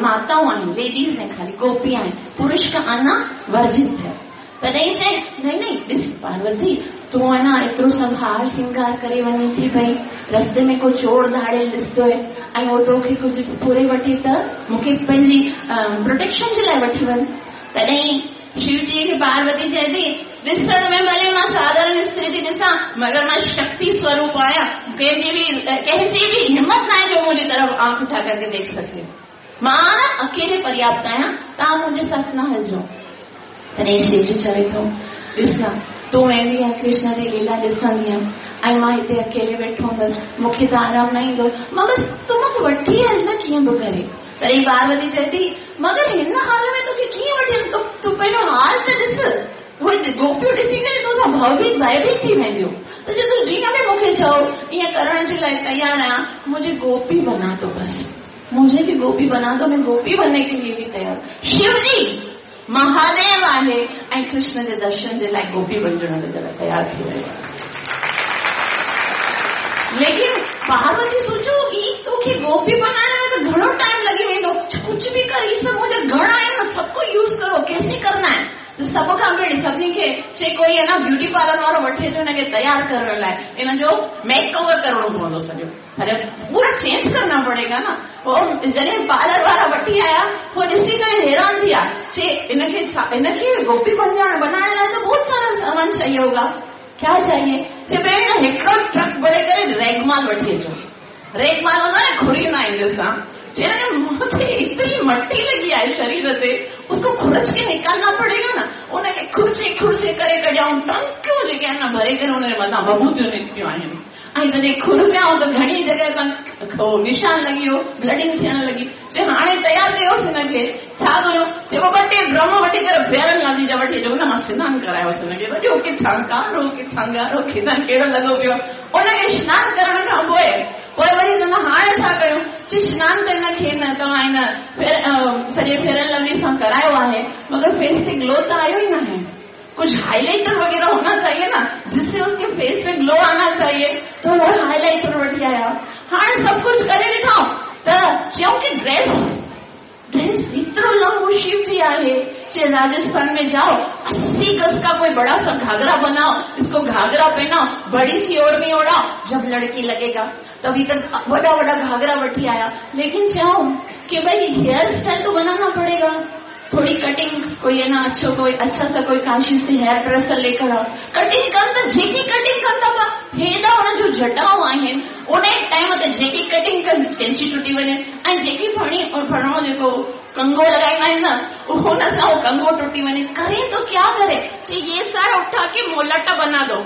माताऊं आहिनि, लेडीज़ आहिनि, खाली गोपी आहिनि, पुरुष का आना वर्जित है। तॾहिं चई नहीं नहीं ॾिस पार्वती, तूं आहे न एतिरो सभु हार सिंगार करे वञी थी पई, रस्ते में को चोर धाड़ियल ॾिसतो आहे ऐं उहो तोखे कुझु फुरे वठी त मूंखे पंहिंजी प्रोटेक्शन जे लाइ वठी वञ। तॾहिं शिवजी खे पार्वती चए थी ॾिसण में भले मां साधारण स्त्री थी ॾिसां, मगर मां शक्ति स्वरूप आहियां, कंहिंजी बि कंहिंजी बि हिम्मत न आहे जो मुंहिंजी तरफ़ आंख उठा करके देख सघे, मां न अकेले पर्याप्त आहियां, तव्हां मुंहिंजे साथ न हलिजो। तॾहिं शिवजी चवे थो ॾिस न तूं वेंदी आहीं कृष्ण जी लीला ॾिसंदी आहीं ऐं मां हिते अकेले वेठो हूंदुसि, मूंखे त आराम न ईंदो, मां बसि तूं मूंखे वठी हल न कीअं बि करे। तॾहिं पार्वती चए थी मगर हिन हाल में तोखे कीअं वठी हल, तूं पंहिंजो हाल त ॾिस, उहे गोपियूं ॾिसी करे तोसां भयभीत भयभीत थी वेंदियूं, त चए तूं जीअं बि मूंखे चओ ईअं करण जे लाइ तयारु आहियां, मुझे गोपी बना दो, बस मुझे भी गोपी बना दो, मैं गोपी बनने के लिए भी तैयार। शिवजी महादेव आहे ऐं कृष्ण जे दर्शन जे लाइ गोपी बणिजण जे लाइ तयारु थी वियो। लेकिन पार्वती सोचो ई तोखे गोपी बनाइण में त घणो टाइम लॻी वेंदो, कुझु बि कर, ई सभु मुंहिंजा घणा आहिनि, सबको यूज़ करो, कैसे करना है? त सभ खां पहिरीं सभिनी खे चे कोई आहे न ब्यूटी पार्लर वारो वठी अचो हिनखे तयारु करण लाइ, इन जो मेक ओवर करिणो पवंदो सॼो, अरे पूरा चेंज करना पड़ेगा न। पोइ जॾहिं पार्लर वारा वठी आया, पोइ ॾिसी करे हैरान थी विया, चे इनखे इनखे गोपी बणिजण बनाइण लाइ त बहुत सारा सामान चाहिए होगा, क्या चाहिए? चे भेण हिकिड़ो ट्रक भरे करे रेगमाल वठी अचो, रेगमाल हूंदो आहे न खुरींदा आहिनि जंहिंसां, चे मुंहं ते एतिरी है शरीर ते, उसको खुरच के निकालना पड़ेगा ना। उनखे खुरचे खुरचे करे कढियाऊं, टंकियूं जेके आहिनि न भरे करे हुनजे मथां बबूतियूं निकितियूं आहिनि। ऐं जॾहिं खुरचियाऊं त घणी जॻह तां निशान लॻी वियो, ब्लडिंग थियण लॻी। चए हाणे तयारु कयोसि हिनखे, छा कयूं? चए पोइ ॿ टे ड्रम वठी करे फेरन लवली जा वठी अचो, हुन मां सनानु करायोसि हुनखे। सॼो किथां कारो किथां ॻाढ़ो किथां कहिड़ो लॻो पियो। उनखे सनानु करण खां पोइ पोइ वरी चवंदा हाणे छा कयूं? चए सनानु त हिनखे न तव्हां हिन सॼे फेरन लवली सां करायो आहे, मगर फेस ते ग्लो त आयो ई न आहे। कुछ हाईलाइटर वगैरह होना चाहिए ना, जिससे उसके फेस में ग्लो आना चाहिए। तो वो हाईलाइटर वठी आया। हाणे सभु कुझु करे ॾिठो त चयूं की ड्रेस ड्रेस एतिरो लंबो शिव जी आहे। चए राजस्थान में जाओ, अस्सी गज का कोई बड़ा सा घाघरा बनाओ, इसको घाघरा पहनाओ, बड़ी सी ओढ़नी ओढ़ाओ, जब लड़की लगेगा। तभी तक वॾा वॾा घाघरा वठी आया। लेकिन चऊं कि भाई हेयर स्टाइल तो बनाना पड़ेगा, थोड़ी कटिंग कोई है ना अच्छो कोई अच्छा सा कोई काशी से हेयर ड्रेसर लेकर आओ। कटिंग कनि त जेकी कटिंग कनि था पिया, हेॾा हुन जूं जटाऊं आहिनि, उन टाइम ते जेकी कटिंग कनि कैंची टुटी वञे, ऐं जेकी फणी फणो जेको कंगो लॻाईंदा आहिनि न, हुन सां उहो कंगो टुटी वञे। करे तो क्या करे? चए ये सारा उठा के मोलाटा बना दो।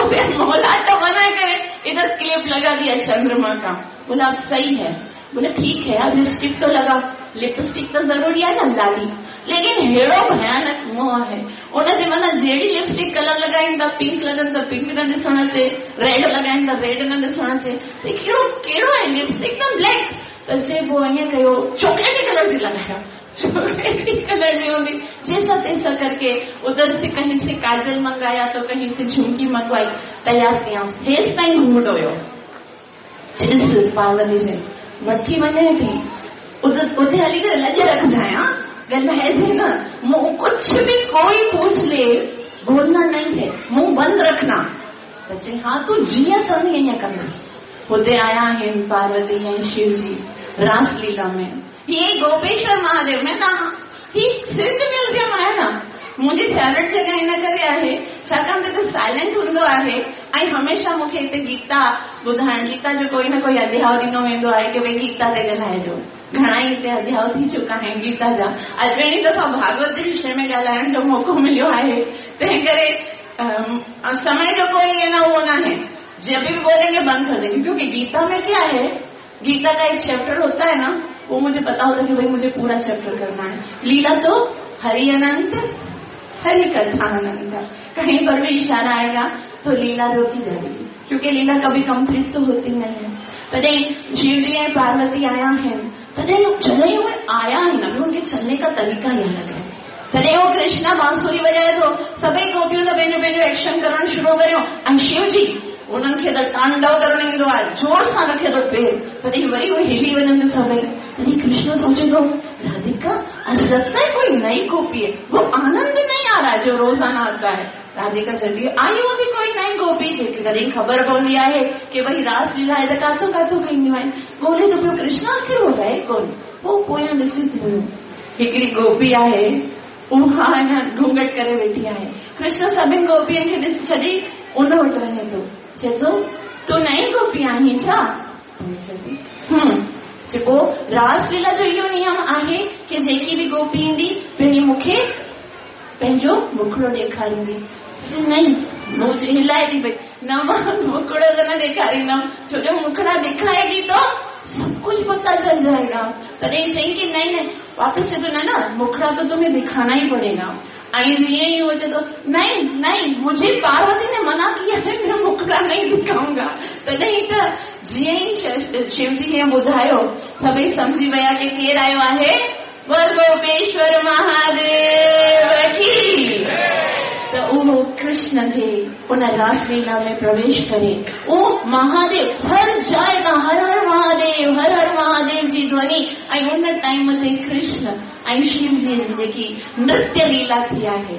फिर मोलाटा बनाए करे इधर क्लिप लगा दिया चंद्रमा का। बोला अब सही है। बोले ठीक है, अब लिपस्टिक तो लगाओ, लिपस्टिक तो जरूरी आहे न लाली। लेकिन हेड़ो भयानक मुंहुं आहे, उनजे मथां जहिड़ी लिपस्टिक कलर लॻाइनि था, पिंक लॻनि त पिंक न ॾिसण अचे, रेड लॻाइनि त रेड न ॾिसण अचे, त कहिड़ो कहिड़ो आहे लिपस्टिक त ब्लैक। त चए पोइ ईअं कयो, चॉकलेटी कलर जी लॻायो, चॉकलेटी कलर जी हूंदी। जैसा तैसा करके उधर से कहीं से काजल मंगाया तो कहीं से झुमकी मंगवाई, तैयार कयां। हेसि ताईं घूंघट हुयो। ॾिस पार्वती जे वठी वञे थी, उते हली करे लॼ रखजांइ, हा ॻाल्हाइजे न, मुंहुं कुछ भी कोई पूछ ले बोलना नहीं है, मुंह बंद रखना। त चई हा तूं जीअं चवंदी ईअं कंदुसि। हुते आया आहिनि पार्वती ऐं शिव जी रास लीला में। हीअ गोपेश्वर महादेव में तव्हां ही सिंध म्यूज़ियम आहे न, मुंहिंजी फेवरेट जॻह हिन करे आहे, छाकाणि त हिते साइलेंट हूंदो आहे ऐं हमेशा मूंखे हिते गीता ॿुधाइण, गीता जो कोई न कोई अध्याय ॾिनो वेंदो आहे की भई गीता ते ॻाल्हाइजो। घणा ई हिते अध्याय थी चुका आहिनि गीता जा। अॼु पहिरीं दफ़ा भागवत जे विषय में ॻाल्हाइण जो मौक़ो मिलियो आहे, तंहिं करे समय जो कोई न उहो न आहे, जब भी बोलेंगे बंद कर देंगे। क्योंकि गीता में क्या है, गीता का एक चैप्टर होता है ना, वो मुझे पता होता है कि भाई मुझे पूरा चैप्टर करना है। लीला तो हरि अनंत हरि कथा अनंत, कहीं पर भी इशारा आएगा तो लीला रोकी जाएगी, क्योंकि लीला कभी कंप्लीट तो होती नहीं है। तॾहिं शिव जी ऐं पार्वती आया आहिनि, तॾहिं जॾहिं उहे आया आहिनि, अभी उनके चलने का तरीका ही अलग है। जॾहिं उहो कृष्णा बांसुरी वॼाए थो, सभई गोपियूं त पंहिंजो पंहिंजो एक्शन करणु शुरू करियो, ऐं शिव जी उन्हनि खे त तांडव करणु ईंदो आहे, ज़ोर सां रखे थो पेर, तॾहिं वरी उहे हिली वञनि सभई। तॾहिं कृष्ण सोचे थो, राधिका आज लगता है कोई नई गोपी है, वो आनंद नहीं आ रहा है जो रोजाना आता है। राधिका चलती आई हूंदी कोई नई गोपी, जेके कॾहिं ख़बर पवंदी आहे की भई रास लीला आहे त काथों काथों ईंदियूं आहिनि। ॻोल्हे थो पियो कृष्ण आख़िर उहो रहे कोन। पोइ पोयां ॾिसी थी हिकिड़ी गोपी आहे, उहा अञा घूंघट करे वेठी आहे। कृष्ण सभिनी गोपियुनि खे ॾिसी छॾी उन वटि वञे थो, चए थो तूं नई गोपी आहीं छा? हम्म। चए पोइ रास लीला जो इहो नियम आहे की जेकी बि गोपी ईंदी पहिरीं मूंखे पंहिंजो मुखड़ो ॾेखारींदी। नहीं, मुझे हिलाए थी पई, न मां मुखड़ो त न ॾेखारींदमि, छो जो मुखड़ा दिखाएगी तो सब कुछ पता चल जाएगा। तॾहिं चई कि नहीं नहीं, वापसि चए थो न न मुखड़ा तो तुम्हें दिखाना ही पड़ेगा। ऐं जीअं ई उहो चए थो नहीं नहीं, मुझे पार्वती ने मना किया है, मैं मुखड़ा नहीं दिखाऊंगा। तॾहिं त जीअं ई शिव जी ईअं ॿुधायो, सभई सम्झी विया की केरु आयो आहे, बोल गोपेश्वर महादेव की। त उहो कृष्ण खे उन रास लीला में प्रवेश करे, उहो महादेव हर जाइ तां हर हर महादेव हर हर महादेव जी ध्वनि। ऐं उन टाइम ते कृष्ण ऐं शिव जी जी जेकी नृत्य लीला थी आहे,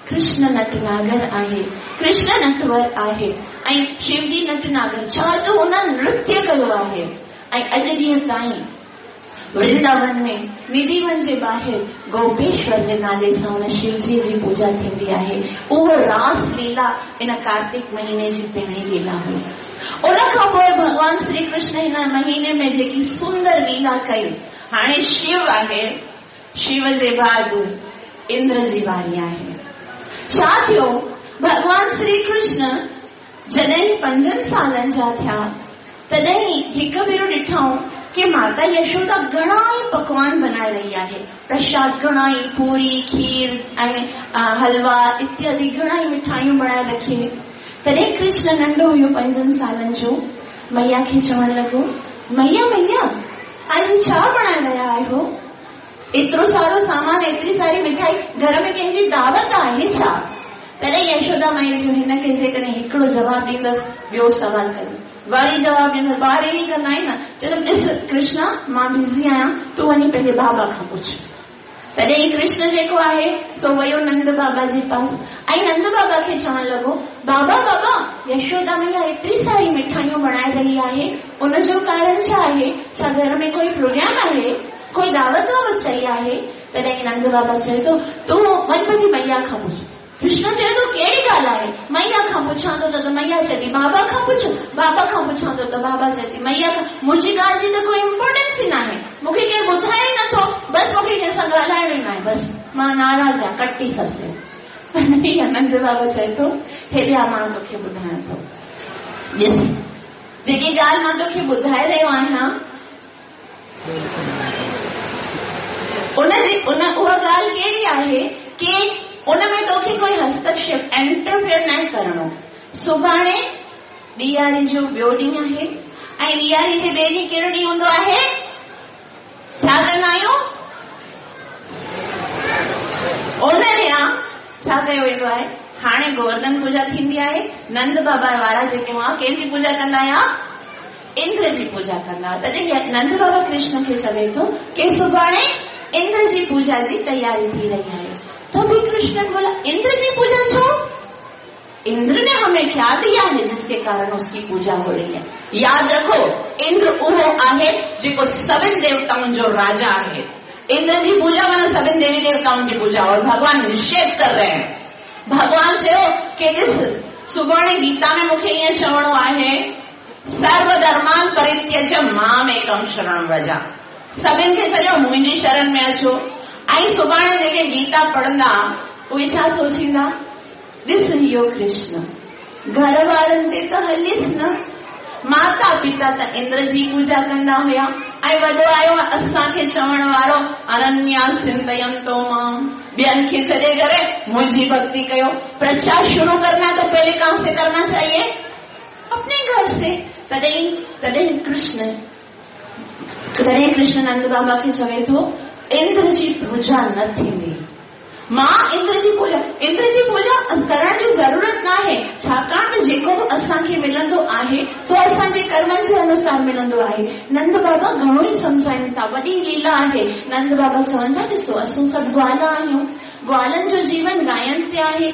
कृष्ण नटनागर आहे, कृष्ण नटवर आहे ऐं शिव जी नटनागर, छा जो हुन नृत्य कयो आहे। ऐं अॼु ॾींहं ताईं वृंदावन में निधिवन जे ॿाहिरि गोपेश्वर जे नाले सां हुन शिवजीअ जी पूजा थींदी आहे। उहो रास लीला इन कार्तिक महीने जी पहिरीं लीला हुई। उन खां पोइ भॻवान श्री कृष्ण हिन महीने में जेकी सुंदर लीला कई, हाणे शिव आहे, शिव जे बाद इंद्र जी वारी आहे। छा थियो? भॻवान श्री कृष्ण जॾहिं पंजनि सालनि जा थिया तॾहिं हिकु भेरो ॾिठऊं कि माता यशोदा घणा ई पकवान बनाए रही आहे, प्रसाद घणा ई पूरी खीर ऐं हलवा इत्यादि घणा ई मिठाइयूं बनाए रखी। तॾहिं कृष्ण नंढो हुयो पंजनि सालनि जो, मैया खे चवणु लॻो, मैया मैया अॼु छा बनाए रहिया आहियो? एतिरो सारो सामान, एतिरी सारी मिठाई, घर में कंहिंजी दावत आहे छा? तॾहिं यशोदा माई चयो, हिनखे जेकॾहिं हिकिड़ो जवाबु ॾींदसि ॿियो सवाल कंदो, वरी जवाबु ॾींदसि। ॿार ई कंदा आहिनि न, चवंदमि ॾिस कृष्णा मां बिज़ी आहियां, तूं वञी पंहिंजे बाबा खां पुछ। तॾहिं कृष्ण जेको आहे सो वियो नंद बाबा जे पास ऐं नंद बाबा खे चवणु लॻो, बाबा बाबा यशोदा मैया एतिरी सारी मिठाइयूं बनाए रही आहे, उनजो कारण छा आहे? छा घर में कोई प्रोग्राम आहे? कोई दावत वावत चई आहे? तॾहिं नंद बाबा चए थो, तूं वञ पंहिंजी मैया खां पुछ। कृष्ण चए थो, कहिड़ी ॻाल्हि आहे? मैया खां पुछां थो त मैया चए थी बाबा खां पुछ, बाबा खां पुछां थो त बाबा चए थी मैया खां। मुंहिंजी ॻाल्हि जी त कोई इम्पोर्टेंस ई नाहे, मूंखे केरु ॿुधाए ई नथो, बसि मूंखे कंहिंसां ॻाल्हाइणो ई नाहे, बसि मां नाराज़ आहियां, कटी सबसे। नंद बाबा चए थो, हेॾे मां तोखे ॿुधायां थो, ॾिस जेकी ॻाल्हि मां तोखे ॿुधाए रहियो आहियां उनजी उन उहा ॻाल्हि कहिड़ी आहे की उन में तोखे कोई हस्तक्षेप इंटरफेयर न करिणो। सुभाणे ॾियारी जो ॿियो ॾींहुं आहे ऐं ॾियारी जे ॿिए ॾींहुं कहिड़ो ॾींहुं हूंदो आहे? छा कंदा आहियूं? उन ॾींहुं छा कयो वेंदो आहे? हाणे गोवर्धन पूजा थींदी आहे। नंद बाबा वारा जेके हुआ कंहिंजी पूजा कंदा हुआ? इंद्र जी पूजा कंदा हुआ। तॾहिं नंद बाबा कृष्ण खे चवे थो कि सुभाणे इंद्र जी पूजा जी तयारी थी रही आहे। तो भी कृष्ण बोला, इंद्र जी पूजा छो? इंद्र ने हमें क्या दिया है जिसके कारण उसकी पूजा हो रही है? याद रखो, इंद्र उहो आहे जेको सभिनि देवताउनि जो राजा आहे। इंद्र जी पूजा माना सभिनि देवी देवताउनि जी पूजा, और भगवान निषेध कर रहे हैं। भगवान चयो कि ॾिस सुभाणे गीता में मूंखे ईअं चवणो आहे, सर्वधर्मान परित्यज्य मामेकं शरणं व्रज। सभिनि खे छॾियो, मुंहिंजी शरण में अचो। ऐं सुभाणे जेके गीता पढ़ंदा उहे छा सोचींदा? ॾिस इहो कृष्ण घर वारनि ते त हलीसि न, माता पिता त इंद्र जी पूजा कंदा हुया ऐं वॾो आयो असांखे चवण वारो अनन्या चिंतयन्तो मां, ॿियनि खे छॾे करे मुंहिंजी भक्ति कयो। प्रचार शुरू करना तो पहले कहाँ से करना चाहिए? अपने घर से। तॾहिं तॾहिं कृष्ण तॾहिं कृष्ण नंद बाबा खे चवे थो, इंद्र जी पूजा न थींदी। मां इंद्र जी पूजा इंद्र जी पूजा करण जी ज़रूरत न आहे, छाकाणि त जेको बि असांखे मिलंदो आहे सो असांजे कर्मनि जे अनुसार मिलंदो आहे। नंद बाबा घणो ई सम्झाइनि था, वॾी लीला आहे। नंद बाबा चवनि था, ॾिसो असां सभु ग्वाला आहियूं, ग्वालनि जो जीवन गायनि ते आहे,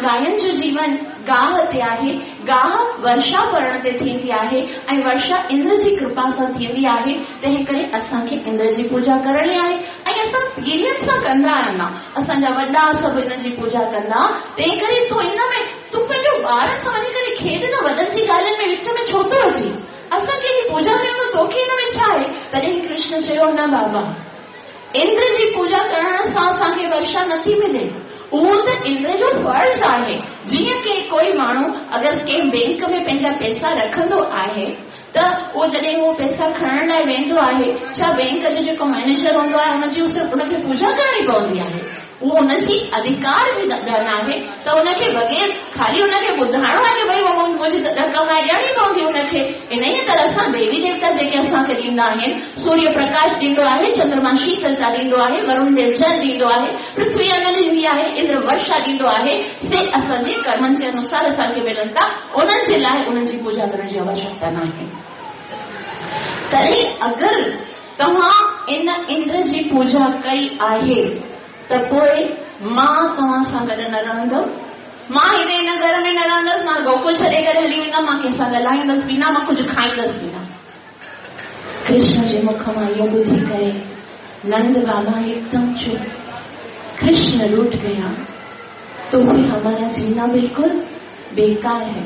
गायनि जो जीवन गाह ते आहे, गाह वर्षा पड़ण ते थींदी आहे ऐं वर्षा इंद्र जी कृपा सां थींदी आहे। तंहिं करे असांखे इंद्र जी पूजा करणी आहे ऐं असां पीढ़ियुनि सां कंदा रहंदा, असांजा वॾा सभु इन जी पूजा कंदा। तंहिं करे तूं इन में तूं पंहिंजो ॿारनि सां वञी करे खेॾ न, वॾनि जी ॻाल्हियुनि में विच में छो थो अची? असां कंहिंजी पूजा कयूं, तोखे इन में छा आहे? तॾहिं कृष्ण चयो, न बाबा, इंद्र जी पूजा करण सां असांखे वर्षा नथी मिले, उहो त इंद्र जो फ़र्ज़ आहे। जीअं की कोई माण्हू अगरि कंहिं बैंक में पंहिंजा पैसा रखंदो आहे त उहो जॾहिं उहो पैसा खणण लाइ वेंदो आहे, छा बैंक जो जेको मैनेजर हूंदो आहे हुनजी हुनखे पूजा करणी पवंदी आहे? उहो हुनजी अधिकार जी ॻाल्हि आहे त हुनखे बग़ैर ख़ाली हुनखे ॿुधाइणो आहे की भई उहो मुंहिंजी रक़म आहे, ॾियणी पवंदी हुनखे। इन ई तरह सां देवी देवता जेके असांखे ॾींदा आहिनि, सूर्य प्रकाश ॾींदो आहे, चंद्रमा शीतलता ॾींदो आहे, वरुण देव जल ॾींदो आहे, पृथ्वी अन्न ॾींदी आहे, इंद्र वर्षा ॾींदो आहे, से असांजे कर्मनि जे अनुसार असांखे मिलनि था। उन्हनि जे लाइ उन्हनि जी पूजा करण जी आवश्यकता न आहे। तॾहिं अगरि तव्हां इन इंद्र जी पूजा कई आहे त पोइ मां तव्हां सां गॾु न रहंदुमि, मां हिते हिन घर में न रहंदुसि, मां गोकुल छॾे करे हली वेंदमि, मां कंहिंसां ॻाल्हाईंदुसि बि न, मां कुझु खाईंदुसि बि न। कृष्ण जे मुख मां इहो ॿुधी करे नंद बाबा एकदम चुप। कृष्ण रूठ गया तो भी हमारा जीना बिल्कुल बेकार है।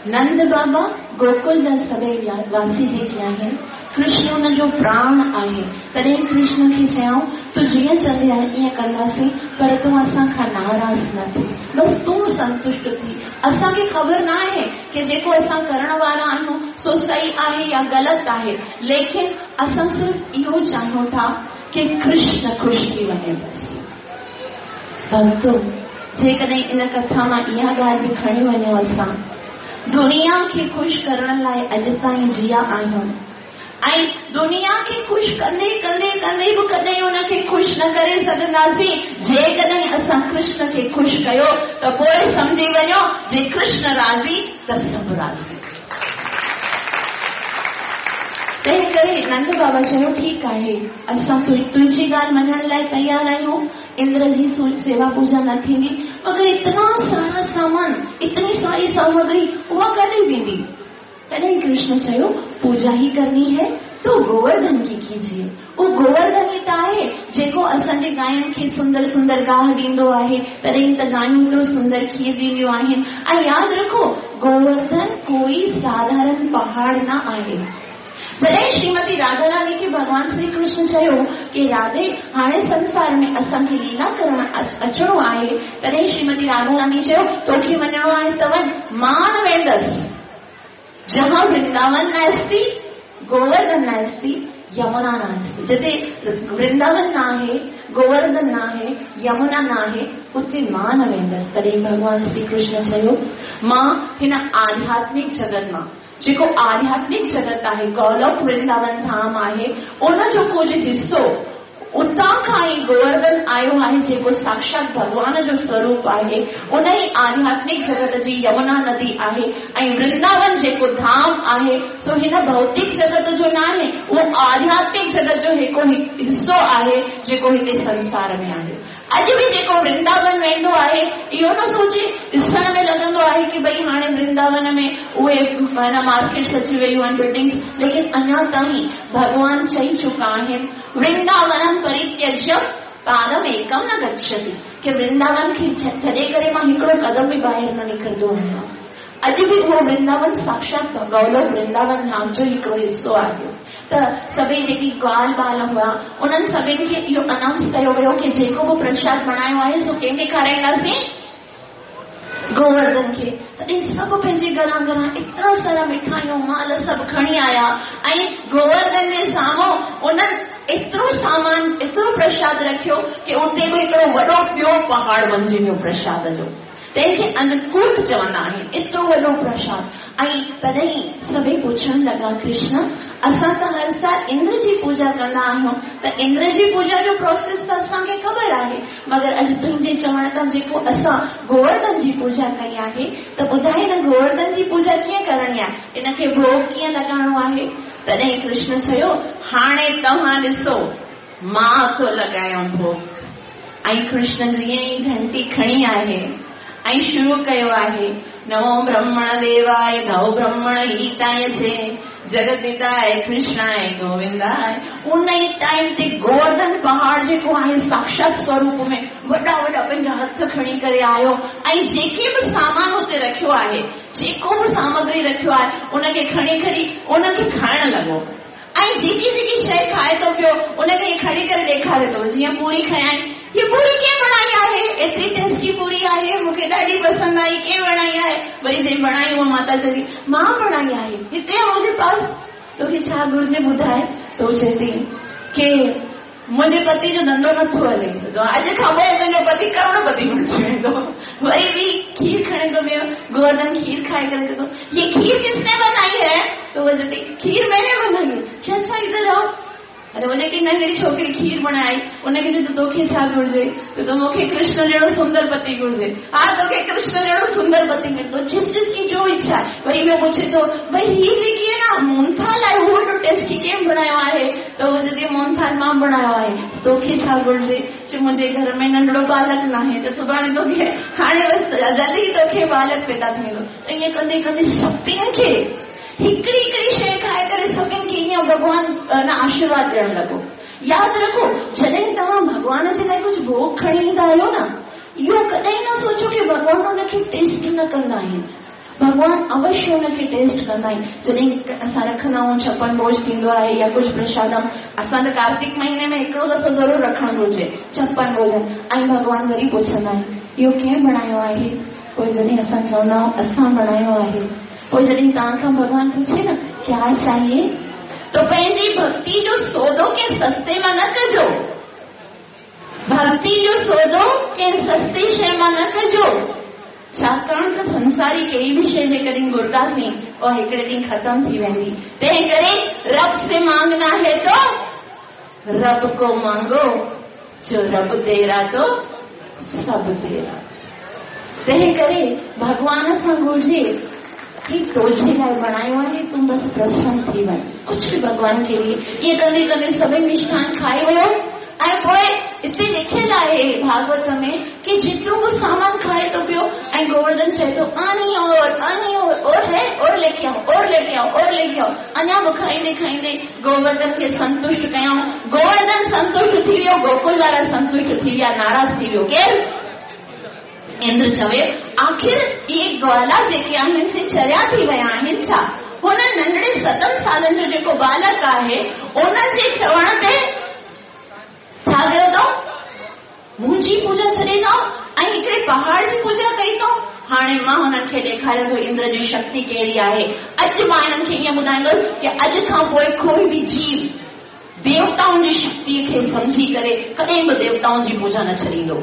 नंद बाबा गोकुल जा सभई वासी जेके आहिनि, कृष्ण हुनजो प्राण आहे। तॾहिं कृष्ण खे चयऊं, तूं जीअं चवंदी आहीं ईअं कंदासीं, पर तूं असां खां नाराज़ न थी, बसि तूं संतुष्ट थी। असांखे ख़बर न आहे की जेको असां करण वारा आहियूं सो सही आहे या ग़लति आहे, लेकिन असां सिर्फ़ इहो चाहियूं था की कृष्ण ख़ुशि थी वञे बसि। भक्तो, जेकॾहिं इन कथा मां इहा ॻाल्हि बि खणी वञूं, असां दुनिया खे ख़ुशि करण लाइ अॼु ताईं जिया आहियूं ऐं दुनिया खे ख़ुशि कंदे कंदे कंदे बि कॾहिं हुनखे ख़ुशि न करे सघंदासीं। जेकॾहिं असां कृष्ण खे ख़ुशि कयो त पोइ सम्झी वञो, जे कृष्ण राज़ी त सभु राज़ी। तंहिं करे नंद बाबा चयो, ठीकु आहे, असां तुंहिंजी ॻाल्हि मञण लाइ तयारु आहियूं, इंद्र जी सेवा पूजा न थींदी, मगर इतना सारा सामान, इतनी सारी सामग्री उहा कॾहिं वेंदी? तॾहिं कृष्ण चयो, पूजा ही करनी है तो गोवर्धन की कीजिए। उहो गोवर्धन ई त आहे जेको असांजे गायुनि खे सुंदर सुंदर गाह ॾींदो आहे, तॾहिं त गायूं एतिरो सुंदर खीर ॾींदियूं आहिनि। ऐं यादि रखो, गोवर्धन कोई साधारण पहाड़ न आहे। जॾहिं श्रीमती राधा रानी खे भॻवान श्री कृष्ण चयो की राधे, हाणे संसार में असांखे लीला करण अचिणो आहे, तॾहिं श्रीमती राधा रानी चयो, तोखे वञिणो आहे त वञ, मां न वेंदसि। जहां वृंदावन नास्ति, गोवर्धन नास्ति, यमुना नास्ति। जिते वृंदावन न आहे, गोवर्धन न आहे, यमुना न आहे, उते मां न वेंदसि। तॾहिं भॻवान श्री कृष्ण चयो, मां हिन आध्यात्मिक जगत मां, जेको आध्यात्मिक जगत आहे, गोलोक वृंदावन धाम आहे, उनजो कुझु हिसो उतां खां ई गोवर्धन आयो आहे, जेको साक्षात भॻवान जो स्वरूप आहे, उन ई आध्यात्मिक जगत जी यमुना नदी आहे। ऐं वृंदावन जेको धाम आहे सो हिन भौतिक जगत जो न आहे, उहो आध्यात्मिक जगत जो हिकिड़ो हिसो आहे जेको हिते संसार में आहे। अॼु बि जेको वृंदावन वेंदो आहे, इहो न सोचे, ॾिसण में लॻंदो आहे की भई हाणे वृंदावन में उहे माना मार्केट्स अची वयूं आहिनि, बिल्डिंग्स, लेकिन अञा ताईं भॻवान चई चुका आहिनि, वृंदावनम परित्यज्य पादम एकम न गच्छति, की वृंदावन खे छॾे करे मां हिकिड़ो कदम बि ॿाहिरि न निकिरंदो आहियां। अॼु बि उहो वृंदावन साक्षात गौलोक वृंदावन धाम जो हिकिड़ो हिसो आहे। त सभई जेकी ग्वाल बाल हुआ, उन्हनि सभिनी खे इहो अनाउंस कयो वियो की जेको बि प्रसाद बणायो आहे सो कंहिंखे खाराईंदासीं? गोवर्धन खे। तॾहिं सभु पंहिंजे घरां घरां एतिरा सारा मिठाइयूं माल सभु खणी आया ऐं गोवर्धन जे साम्हूं उन्हनि एतिरो सामान, एतिरो प्रसाद रखियो की उते बि हिकिड़ो वॾो ॿियो पहाड़ बणिजी वियो प्रसाद जो, तंहिंखे अन्नकूट चवंदा आहिनि, एतिरो वॾो प्रसाद। ऐं तॾहिं सभई पुछणु लॻा, कृष्ण, असां त हर साल इंद्र जी पूजा कंदा आहियूं, त इंद्र जी पूजा जो प्रोसेस त असांखे ख़बर आहे, मगर अॼु तुंहिंजे चवण तां जेको असां गोवर्धन जी पूजा कई आहे, त ॿुधाए न गोवर्धन जी पूजा कीअं करणी आहे, इनखे भोग कीअं लॻाइणो आहे? तॾहिं कृष्ण चयो, हाणे तव्हां ॾिसो, मां थो लॻायां भोग। ऐं कृष्ण जीअं ई घंटी खणी आहे ऐं शुरू कयो आहे, नमो ब्रह्मण देवाय गौ ब्रह्मण हिताय चे जगदिताय कृष्णाय गोविंदाय। उन ई टाइम ते गोवर्धन पहाड़ जेको आहे साक्षात स्वरूप में वॾा वॾा पंहिंजा हथ खणी करे आयो ऐं जेके बि सामान हुते रखियो आहे, जेको बि सामग्री रखियो आहे, उनखे खणी खणी उनखे खाइण लॻो। ऐं जेकी जेकी शइ खाए थो पियो उनखे खणी करे ॾेखारे थो। जीअं पूरी खयाई, हीअ पूरी कंहिं बणाई आहे? एतिरी टेस्टी पूरी आहे, मूंखे ॾाढी पसंदि आई, कंहिं बणाई आहे? वरी जंहिं बणाई उहा माता चई, मां बणाई आहे, हिते आहे मुंहिंजे पास, तोखे छा घुरिजे ॿुधाए? त हू चए थी की मुंहिंजे पति जो धंधो नथो हले, अॼु खां पोइ तुंहिंजो पति करोड़पति बणिजी वेंदो। वरी बि खीर खणे थो पियो, गोवर्धन खीर खाए करे चए थो, ये खीर किसने बनाई है? तो वो चए थी, खीर मैंने बनाई है। अच्छा इधर आओ। अरे वो जेकी नंढड़ी छोकिरी खीर बणाई, उनखे चए थो, तोखे छा घुरिजे? त मूंखे कृष्ण जहिड़ो सुंदर पति घुरिजे। हा, तोखे कृष्ण जहिड़ो सुंदर पति मिलंदो, जिस जिसकी जो इच्छा आहे। वरी ॿियो पुछे थो, भई हीअ जेकी आहे न मोहनथाल आहे, उहो एॾो टेस्टी कंहिं बणायो आहे? त उहो चए थी, मोहनथाल मां बणायो आहे। तोखे छा घुरिजे? चए मुंहिंजे घर में नंढड़ो बालक न आहे, त सुभाणे तोखे हाणे बसि जल्दी तोखे बालक पैदा थी वेंदो। त ईअं कंदे कंदे सभिनी खे हिकिड़ी हिकिड़ी शइ खाए करे सभिनी खे ईअं भॻवान न आशीर्वाद ॾियणु लॻो। यादि रखो, जॾहिं तव्हां भॻवान जे लाइ कुझु भोग खणी ईंदा आहियो न, इहो कॾहिं न सोचो की भॻवान हुनखे टेस्ट न कंदा आहिनि। भॻवान अवश्य हुनखे टेस्ट कंदा आहिनि। जॾहिं असां रखंदा आहियूं छप्पन भोज थींदो आहे या कुझु प्रसादम, असां त कार्तिक महीने में हिकिड़ो दफ़ो ज़रूरु रखणु घुरिजे छप्पन भोजन। ऐं भॻवान वरी पुछंदा आहिनि इहो कंहिं बणायो आहे? पोइ जॾहिं असां चवंदा आहियूं असां बणायो आहे, पोइ जॾहिं तव्हां खां भॻवान पुछे न क्या चाहिए, तो पंहिंजी भक्ति जो सौदो कंहिं सस्ते मां न कजो, भक्ति जो सौदो कंहिं सस्ती शइ मां न कजो। छाकाणि त संसारी कहिड़ी बि शइ जेकॾहिं घुरंदासीं उहा हिकिड़े ॾींहुं ख़तमु थी वेंदी। तंहिं करे रब से मांगना है तो रब को मांगो, जो रब दे रहा तो सब दे रहा। तंहिं करे भॻवान सां घुरिजे कि तुंहिंजे लाइ बणायो आहे, तूं बसि प्रसन्न थी वञ, कुझु बि भॻवान खे ॾिए। ईअं कंदे कंदे सभई मिष्ठान खाई वियो। ऐं पोइ हिते लिखियलु आहे भागवत में कि जेतिरो बि सामान खाए थो पियो ऐं गोवर्धन चए थो आनी और आनी और, और है और लेके आओ, और लेके आओ, और लेके आओ। अञा बि खाईंदे खाईंदे गोवर्धन खे संतुष्ट कयऊं। गोवर्धन संतुष्ट थी वियो, गोकुल वारा संतुष्ट थी विया, नाराज़ थी वियो केरु? इंद्र चवे आख़िर इहे ग्वाला जेके आहिनि से चरिया थी विया आहिनि छा? हुन नंढड़े सतनि सालनि जो जेको बालक आहे उन जे चवण ते छा कयो अथऊं? मुंहिंजी पूजा छॾे अथऊं ऐं हिकिड़े पहाड़ जी पूजा कई अथऊं। हाणे मां हुननि खे ॾेखारियां थो इंद्र जी शक्ति कहिड़ी आहे। अॼु मां हिननि खे ईअं ॿुधाईंदुसि की अॼु खां पोइ कोई बि जीव देवताउनि जी शक्तीअ खे सम्झी करे कॾहिं बि देवताउनि जी पूजा न छॾींदो।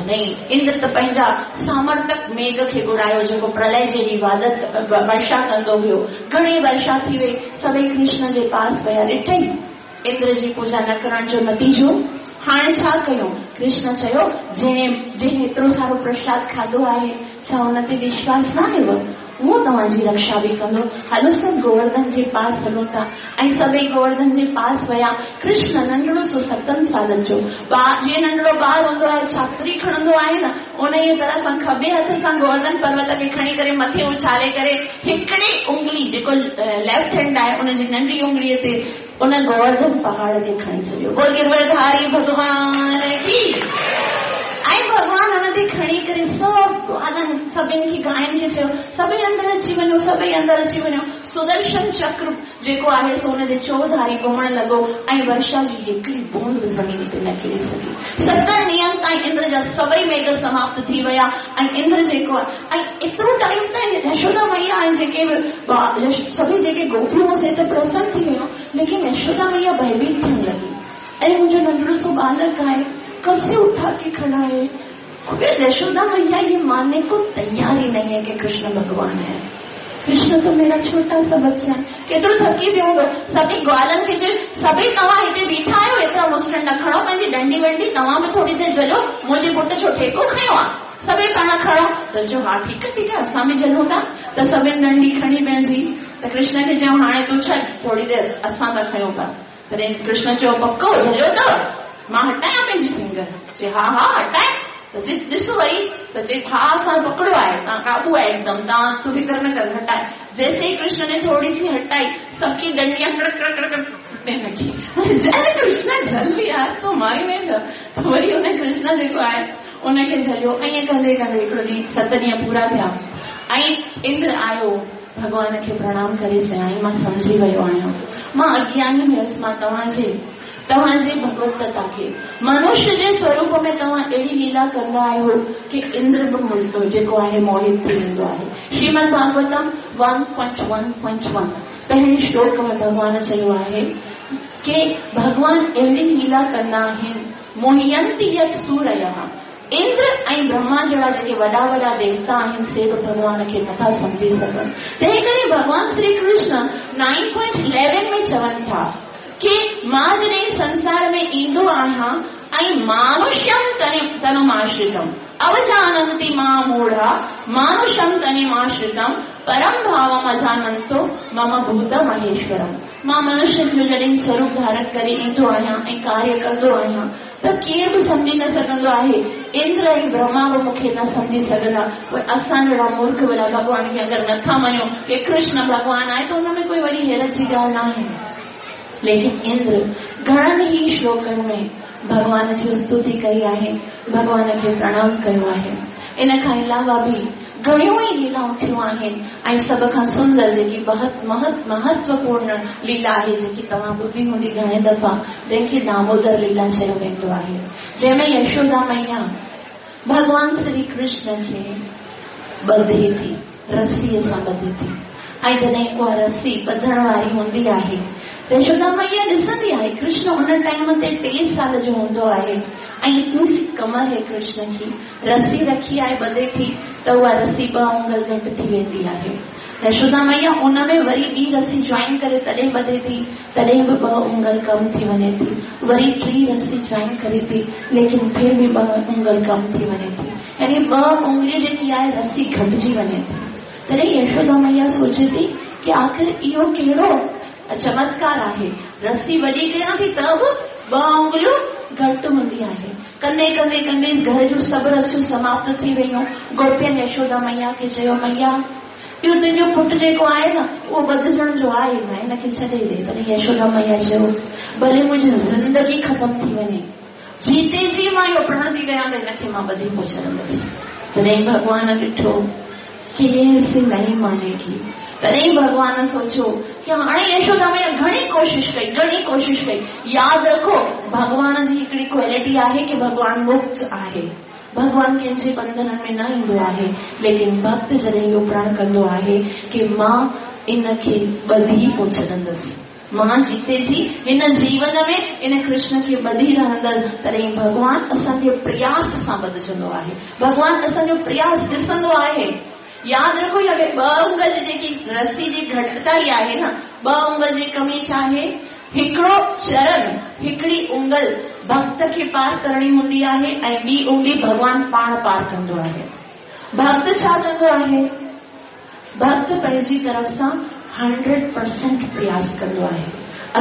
नहीं, इंद्र त पंहिंजा सामर्थक मेघ खे घुरायो जेको प्रलय जहिड़ी वादत वर्षा कंदो हुयो। घणी वर्षा थी वई, सभई कृष्ण जे पास विया। ॾिठई इंद्र जी पूजा न करण जो नतीजो। हाणे छा कयूं? कृष्ण चयो जंहिं जंहिं एतिरो सारो प्रसाद खाधो आहे, छा हुन ते विश्वास न आयो? उहो तव्हांजी रक्षा बि कंदो। हलो सभु गोवर्धन जे पास हलूं था। ऐं सभई गोवर्धन जे पास विया। कृष्ण नंढड़ो सो सतनि सालनि जो ॿार, जीअं नंढड़ो ॿार हूंदो आहे छातरी खणंदो आहे न, उन ई तरह सां खॿे हथ सां गोवर्धन पर्वत खे खणी करे मथे उछाले करे हिकिड़ी उंगली जेको लेफ्ट हैंड आहे उनजी नंढी उंगलीअ ते उन गोवर्धन पहाड़ खे खणी छॾियो। बोल गिरवरधारी भॻवान की। ऐं भॻवान हुन ते खणी करे सभु ग्वालनि सभिनी खे गायुनि खे चयो सभई अंदरि अची वञो, सभई अंदरि अची वञो। सुदर्शन चक्र जेको आहे सो हुनजे चौधारी घुमणु लॻो ऐं वर्षा जी हिकिड़ी बूंद बि ज़मीन ते न किरे सघी। सतनि ॾींहंनि ताईं इंद्र जा सभई मेघ समाप्त थी विया ऐं इंद्र जेको आहे ऐं एतिरो टाइम ताईं यशोदा मैया ऐं जेके बि सभई जेके गोपियूं से त प्रसन्न थी वियूं, लेकिन यशोदा मैया भयभीत थियणु लॻी। ऐं मुंहिंजो नंढड़ो सो बालक आहे, कब से उठा के खड़ा है। यशोदा मैया ये मानने को तैयार ही नहीं है कि कृष्ण भगवान है। कृष्ण तो मेरा छोटा सा बच्चा है। केतिरो थकी पियो हूंदो। सभिनी ग्वालनि खे चयो सभई तव्हां हिते बीठा आहियो, एतिरा मुसरण न खणो, पंहिंजी डंडी वंडी तव्हां बि थोरी देरि झलो, मुंहिंजे पुट छो ठेको खयो आहे, सभई पाण खणो। त चयो हा ठीकु आहे ठीकु आहे, असां बि झलूं था। त सभिनी डंडी खणी पंहिंजी। त कृष्ण खे चयो हाणे तूं छॾ थोरी देरि, असां था खयूं पिया। तॾहिं कृष्ण चयो पको झलियो अथव, मां हटायां पंहिंजी फिंगर? चए हा हा हटाए। त चए ॾिस वरी, त चए हा असां पकड़ियो आहे, तव्हां क़ाबू आहे एकदम, तव्हां तूं फ़िक्र न कर, हटाए। जैसे ही कृष्ण ने थोड़ी सी हटाई, सबकी डंडियां कड़क कड़क कड़क टुटने लगी। जल कृष्ण झल यार, तूं मारी वेंदो। त वरी उन कृष्ण जेको आहे उनखे झलियो। ऐं कंदे कंदे हिकिड़ो ॾींहुं सत ॾींहं पूरा थिया ऐं इंद्र आयो, भॻवान खे प्रणाम करे चयाईं मां सम्झी वियो आहियां, मां अज्ञानी हुयसि, मां तव्हांजे तव्हांजी भगवतता खे मनुष्य जे स्वरूप में तव्हां अहिड़ी लीला कंदा आहियो की इंद्र बि मुल्को जेको आहे मोहित थी वेंदो आहे। Shrimad Bhagavatam one point one point one पहिरीं श्लोक में भॻवान चयो आहे की भॻवान अहिड़ी लीला कंदा आहिनि, मोहियंती यत् सूरयः, इंद्र ऐं ब्रह्मा जहिड़ा जेके वॾा वॾा देवता आहिनि से बि भॻवान खे नथा सम्झी सघनि। तंहिं करे भॻवान Shri Krishna nine point eleven में चवनि था कि मां जॾहिं संसार में ईंदो आहियां ऐं मानुष्यम तनि तनुमाश्रितम अवजानन्ति मां मूढ़ा मानुषम तनिमाश्रितम परम भावम अजानन्तो मम भूत महेश्वरम। मां मनुष्य जो जॾहिं स्वरूप धारण करे ईंदो आहियां ऐं कार्य कंदो आहियां त केरु बि सम्झी न सघंदो आहे। इंद्र ऐं ब्रह्मा बि मूंखे न सम्झी सघंदा। पोइ असां जहिड़ा मूर्ख भला भॻवान खे अगरि नथा मञूं की कृष्ण भॻवान आहे त हुन में कोई वॾी हैरत जी ॻाल्हि न आहे। लेकिन इंद्र घणनि ई श्लोकनि में भॻवान जी स्तुति कई आहे, भॻवान खे प्रणाम कयो आहे। इन खां अलावा बि घणियूं ई लीलाऊं थियूं आहिनि ऐं सभ खां सुंदर जेकी महत महत्वपूर्ण लीला आहे जेकी तव्हां ॿुधी हूंदी घणे दफ़ा, जंहिंखे दामोदर लीला चयो वेंदो आहे, जंहिंमें यशोदा मैया भॻवान श्री कृष्ण खे ॿधे थी, रसीअ सां ॿधे थी। ऐं जॾहिं उहा रसी ॿधण वारी हूंदी आहे, यशोदा मैया ॾिसंदी आहे कृष्ण उन टाइम ते टे साल जो हूंदो आहे ऐं इतनी सी कमर है कृष्ण की, रसी रखी आहे ॿधे थी त उहा रसी ॿ आङुर घटि थी वेंदी आहे। यशोदा मैया उन में वरी ॿी रसी जॉइन करे तॾहिं ॿधे थी, तॾहिं बि ॿ आङुर कम थी वञे थी, वरी टी रसी जॉइन करे थी, लेकिन फिर बि ॿ आङुर कम थी वञे थी, यानी ॿ आङुरियूं जेकी आहे रसी घटिजी वञे थी। तॾहिं यशोदा मैया सोचे थी की आख़िर इहो कहिड़ो चमत्कार आहे, रसी वॾी कयां थी त बि ॿ आङुरियूं घटि हूंदी आहे। कंदे कंदे कंदे घर जूं सभु रसियूं समाप्त थी वयूं। गोपियनि यशोदा मैया खे चयो, मैया इहो तुंहिंजो पुटु जेको आहे न उहो ॿधजण जो आहे न, हिनखे छॾे ॾे। तॾहिं यशोदा मैया चयो, भले मुंहिंजी ज़िंदगी ख़तमु थी वञे, जीते जी मां इहो प्रण थी कयां त हिनखे मां ॿधी पोइ छॾंदसि। तॾहिं भॻवान ॾिठो की ये नहीं मानेगी। तॾहिं भॻवान सोचियो की हाणे यशोदा मैया घणी कोशिश कई, घणी कोशिश कई। यादि रखो भॻवान जी हिकिड़ी क्वालिटी आहे की भॻवान मुक्त आहे, भॻवान कंहिंजे बंधननि में न ईंदो आहे, लेकिन भक्त जॾहिं इहो प्रण कंदो आहे की मां इन खे ॿधी पोइ छॾंदसि, मां जीते जी हिन जीवन में इन कृष्ण खे ॿधी रहंदसि, तॾहिं भॻवान असांजे प्रयास सां ॿधजंदो आहे, भॻवान असांजो प्रयास ॾिसंदो आहे। यादि रखो इहा ॿ आङुर जी जेकी रसी जी घटिताई आहे न, ॿ आङुर जी कमी छा आहे, हिकिड़ो चरण हिकिड़ी उंगल भक्त खे पार करणी हूंदी आहे ऐं ॿी उंगली भॻवान पाण पार कंदो आहे। भक्त छा कंदो आहे, भक्त पंहिंजी तरफ़ सां हंड्रेड परसेंट प्रयास कंदो आहे।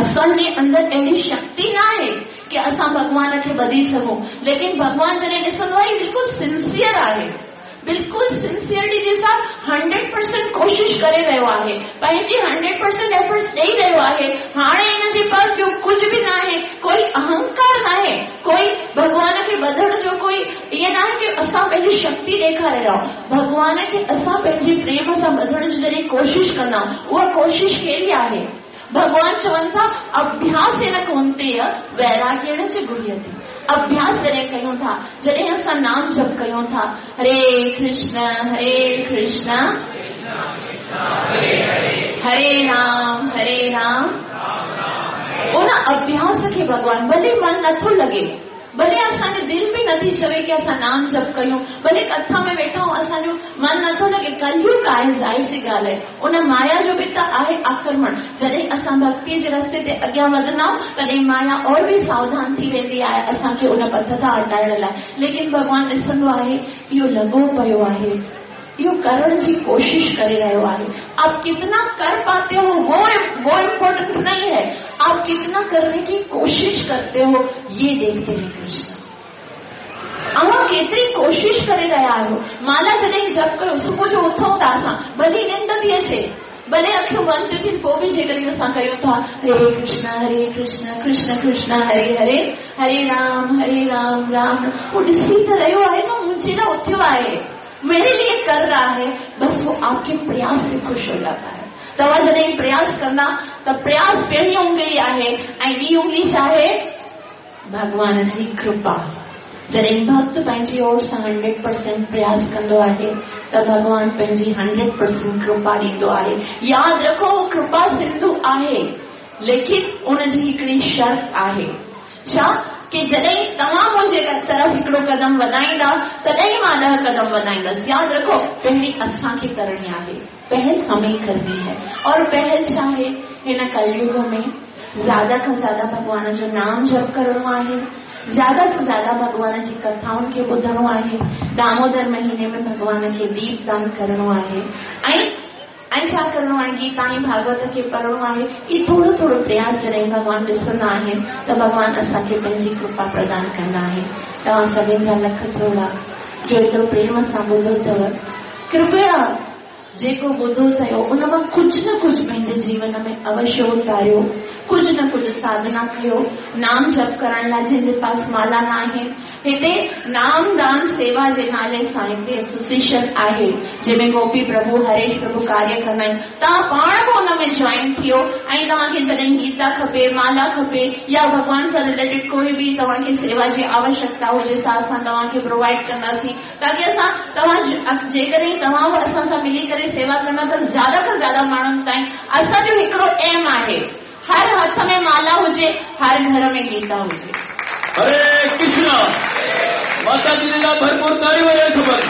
असांजे अंदरि अहिड़ी शक्ति न आहे की असां भॻवान खे ॿधी सघूं, लेकिन भॻवान जॾहिं ॾिसंदो आहे बिल्कुलु सिंसियर आहे, बिल्कुलु सिंसियरिटी जे सां हंड्रेड परसेंट कोशिश करे रहियो आहे, पंहिंजी हंड्रेड परसेंट एफर्ट्स ॾेई रहियो आहे। हाणे हिन जे पास ॿियो कुझु बि न आहे, कोई अहंकार न आहे, कोई भॻवान खे ॿधण जो कोई ईअं न आहे की असां पंहिंजी शक्ति ॾेखारे रहिया। भॻवान खे असां पंहिंजे प्रेम सां ॿधण जी जॾहिं कोशिश कंदा, उहा कोशिश कहिड़ी आहे? भॻवान चवनि था अभ्यास न कौन्तेय वैराग्येण च गुह्यते। अभ्यास जॾहिं कयूं था, जॾहिं असां नाम जप कयूं था, हरे कृष्ण हरे कृष्ण हरे राम हरे राम, उन अभ्यास खे भॻवान भले मन नथो लॻे, भले असांजे दिलि में नथी चवे की असां नाम जप कयूं, भले कथा में वेठा आहियूं असांजो मन नथो लॻे, कलयुग आहे, ज़ाहिर सी ॻाल्हि आहे, उन माया जो बि त आहे आक्रमण। जॾहिं असां भक्तीअ जे रस्ते ते अॻियां वधंदा आहियूं तॾहिं माया और बि सावधान थी वेंदी आहे असांखे उन पथ तां हटाइण लाइ। लेकिन भॻवान ॾिसंदो आहे इहो लॻो पियो आहे, इहो करण जी कोशिश करे रहियो आहे। आप कितना कर पाते हो वो वो इम्पोर्टेंट नहीं है, आप कितना करने की कोशिश करते हो ये देखते हैं कृष्ण। अव्हां केतिरी कोशिश करे रहिया आहियो। माला जॾहिं जप कयो, सुबुह जो उथूं था असां, भली निंड थी अचे, भले अखियूं बंदि थियूं थियनि, पोइ बि जेकॾहिं असां कयूं था हरे कृष्ण हरे कृष्ण कृष्ण कृष्ण हरे हरे हरे राम हरे राम राम, उहो ॾिसी त रहियो आहे न, मुंहिंजे लाइ उथियो आहे, मेरे लिए कर रहा है, बस वो आपके प्रयास से खुश हो जाता है। तव्हां जॾहिं प्रयास कंदा त प्रयास पहिरीं उंगली आहे ऐं ॿी उंगली छा आहे? भॻवान जी कृपा। जॾहिं भक्त पंहिंजी ओर सां हंड्रेड परसेंट प्रयास कंदो आहे त भॻवान पंहिंजी हंड्रेड परसेंट कृपा ॾींदो आहे। यादि रखो कृपा सिंधु आहे, लेकिन उनजी हिकिड़ी शर्त आहे। छा? की जॾहिं तव्हां मुंहिंजे तरफ़ हिकिड़ो कदम वधाईंदा तॾहिं मां ॾह कदम वधाईंदसि। यादि रखो पहिरीं असांखे करणी आहे, पहल हमें करनी है। और पहल छा आहे? हिन कलयुग में ज़्यादा खां ज़्यादा भॻवान जो नाम जप करिणो आहे, ज़्यादा से ज़्यादा भॻवान जी कथाउनि खे ॿुधणो आहे, दामोदर महीने में भॻवान खे दीपदान करिणो आहे ऐं ऐं छा करिणो आहे? गीता ऐं भागवत खे पढ़णो आहे। इहे थोरो थोरो प्रयास जॾहिं भॻवान ॾिसंदा आहिनि त भॻवान असांखे पंहिंजी कृपा प्रदान कंदा आहिनि। तव्हां सभिनी जा लख थोरा जो एतिरो प्रेम सां ॿुधो अथव। कृपया जेको ॿुधो अथव उन मां कुझु न कुझु पंहिंजे जीवन में अवश्य उतारियो, कुझु न कुझु साधना कयो। नाम जप करण लाइ जंहिंजे पास माला न आहिनि, हिते नामदान सेवा जे नाले सां हिकु एसोसिएशन आहे जंहिंमें गोपी प्रभु हरेश प्रभु कार्य कंदा आहिनि। तव्हां पाण बि हुन में जॉइन थियो ऐं तव्हांखे जॾहिं गीता खपे, माला खपे या भॻवान सां रिलेटेड कोई बि तव्हांखे सेवा जी आवश्यकता हुजे सा असां तव्हांखे प्रोवाइड कंदासीं, ताकी असां तव्हां जेकॾहिं तव्हां बि असां सां मिली करे सेवा कंदा त ज़्यादा खां ज़्यादा माण्हुनि ताईं असांजो हिकिड़ो एम आहे, हर हथ में माला हुजे, हर घर में गीता हुजे। हरे कृष्णा। माता जी ने भरपूर ताड़ी वञे ख़बर।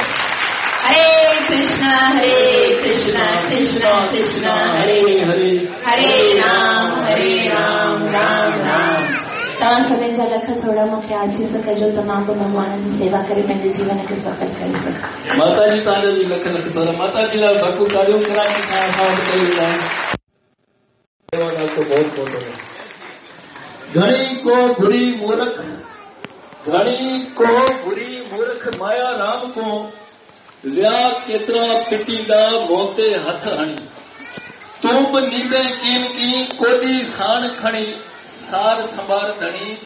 हरे कृष्णा हरे कृष्णा कृष्णा कृष्णा हरे हरे, हरे राम हरे राम राम राम। तव्हां सभिनी जा लख थोरा मूंखे आशीष कजो त मां बि भॻवान जी सेवा करे पंहिंजे जीवन खे सफल करे सघां। माता जी तव्हांजा बि लख लख थोरा। माता जी लाइ भरपूर ताड़ियूं कराची खां असां वटि कई वेंदा आहिनि। बहुत बहुत घणी को बुरी मूर्ख, घणी को बुरी मूर्ख माया राम को, विया केतिरा पिटींदा मोते हथ हणी, तूं बि नींदे कीन की कोॾी साण खणी, सार संभार धणी।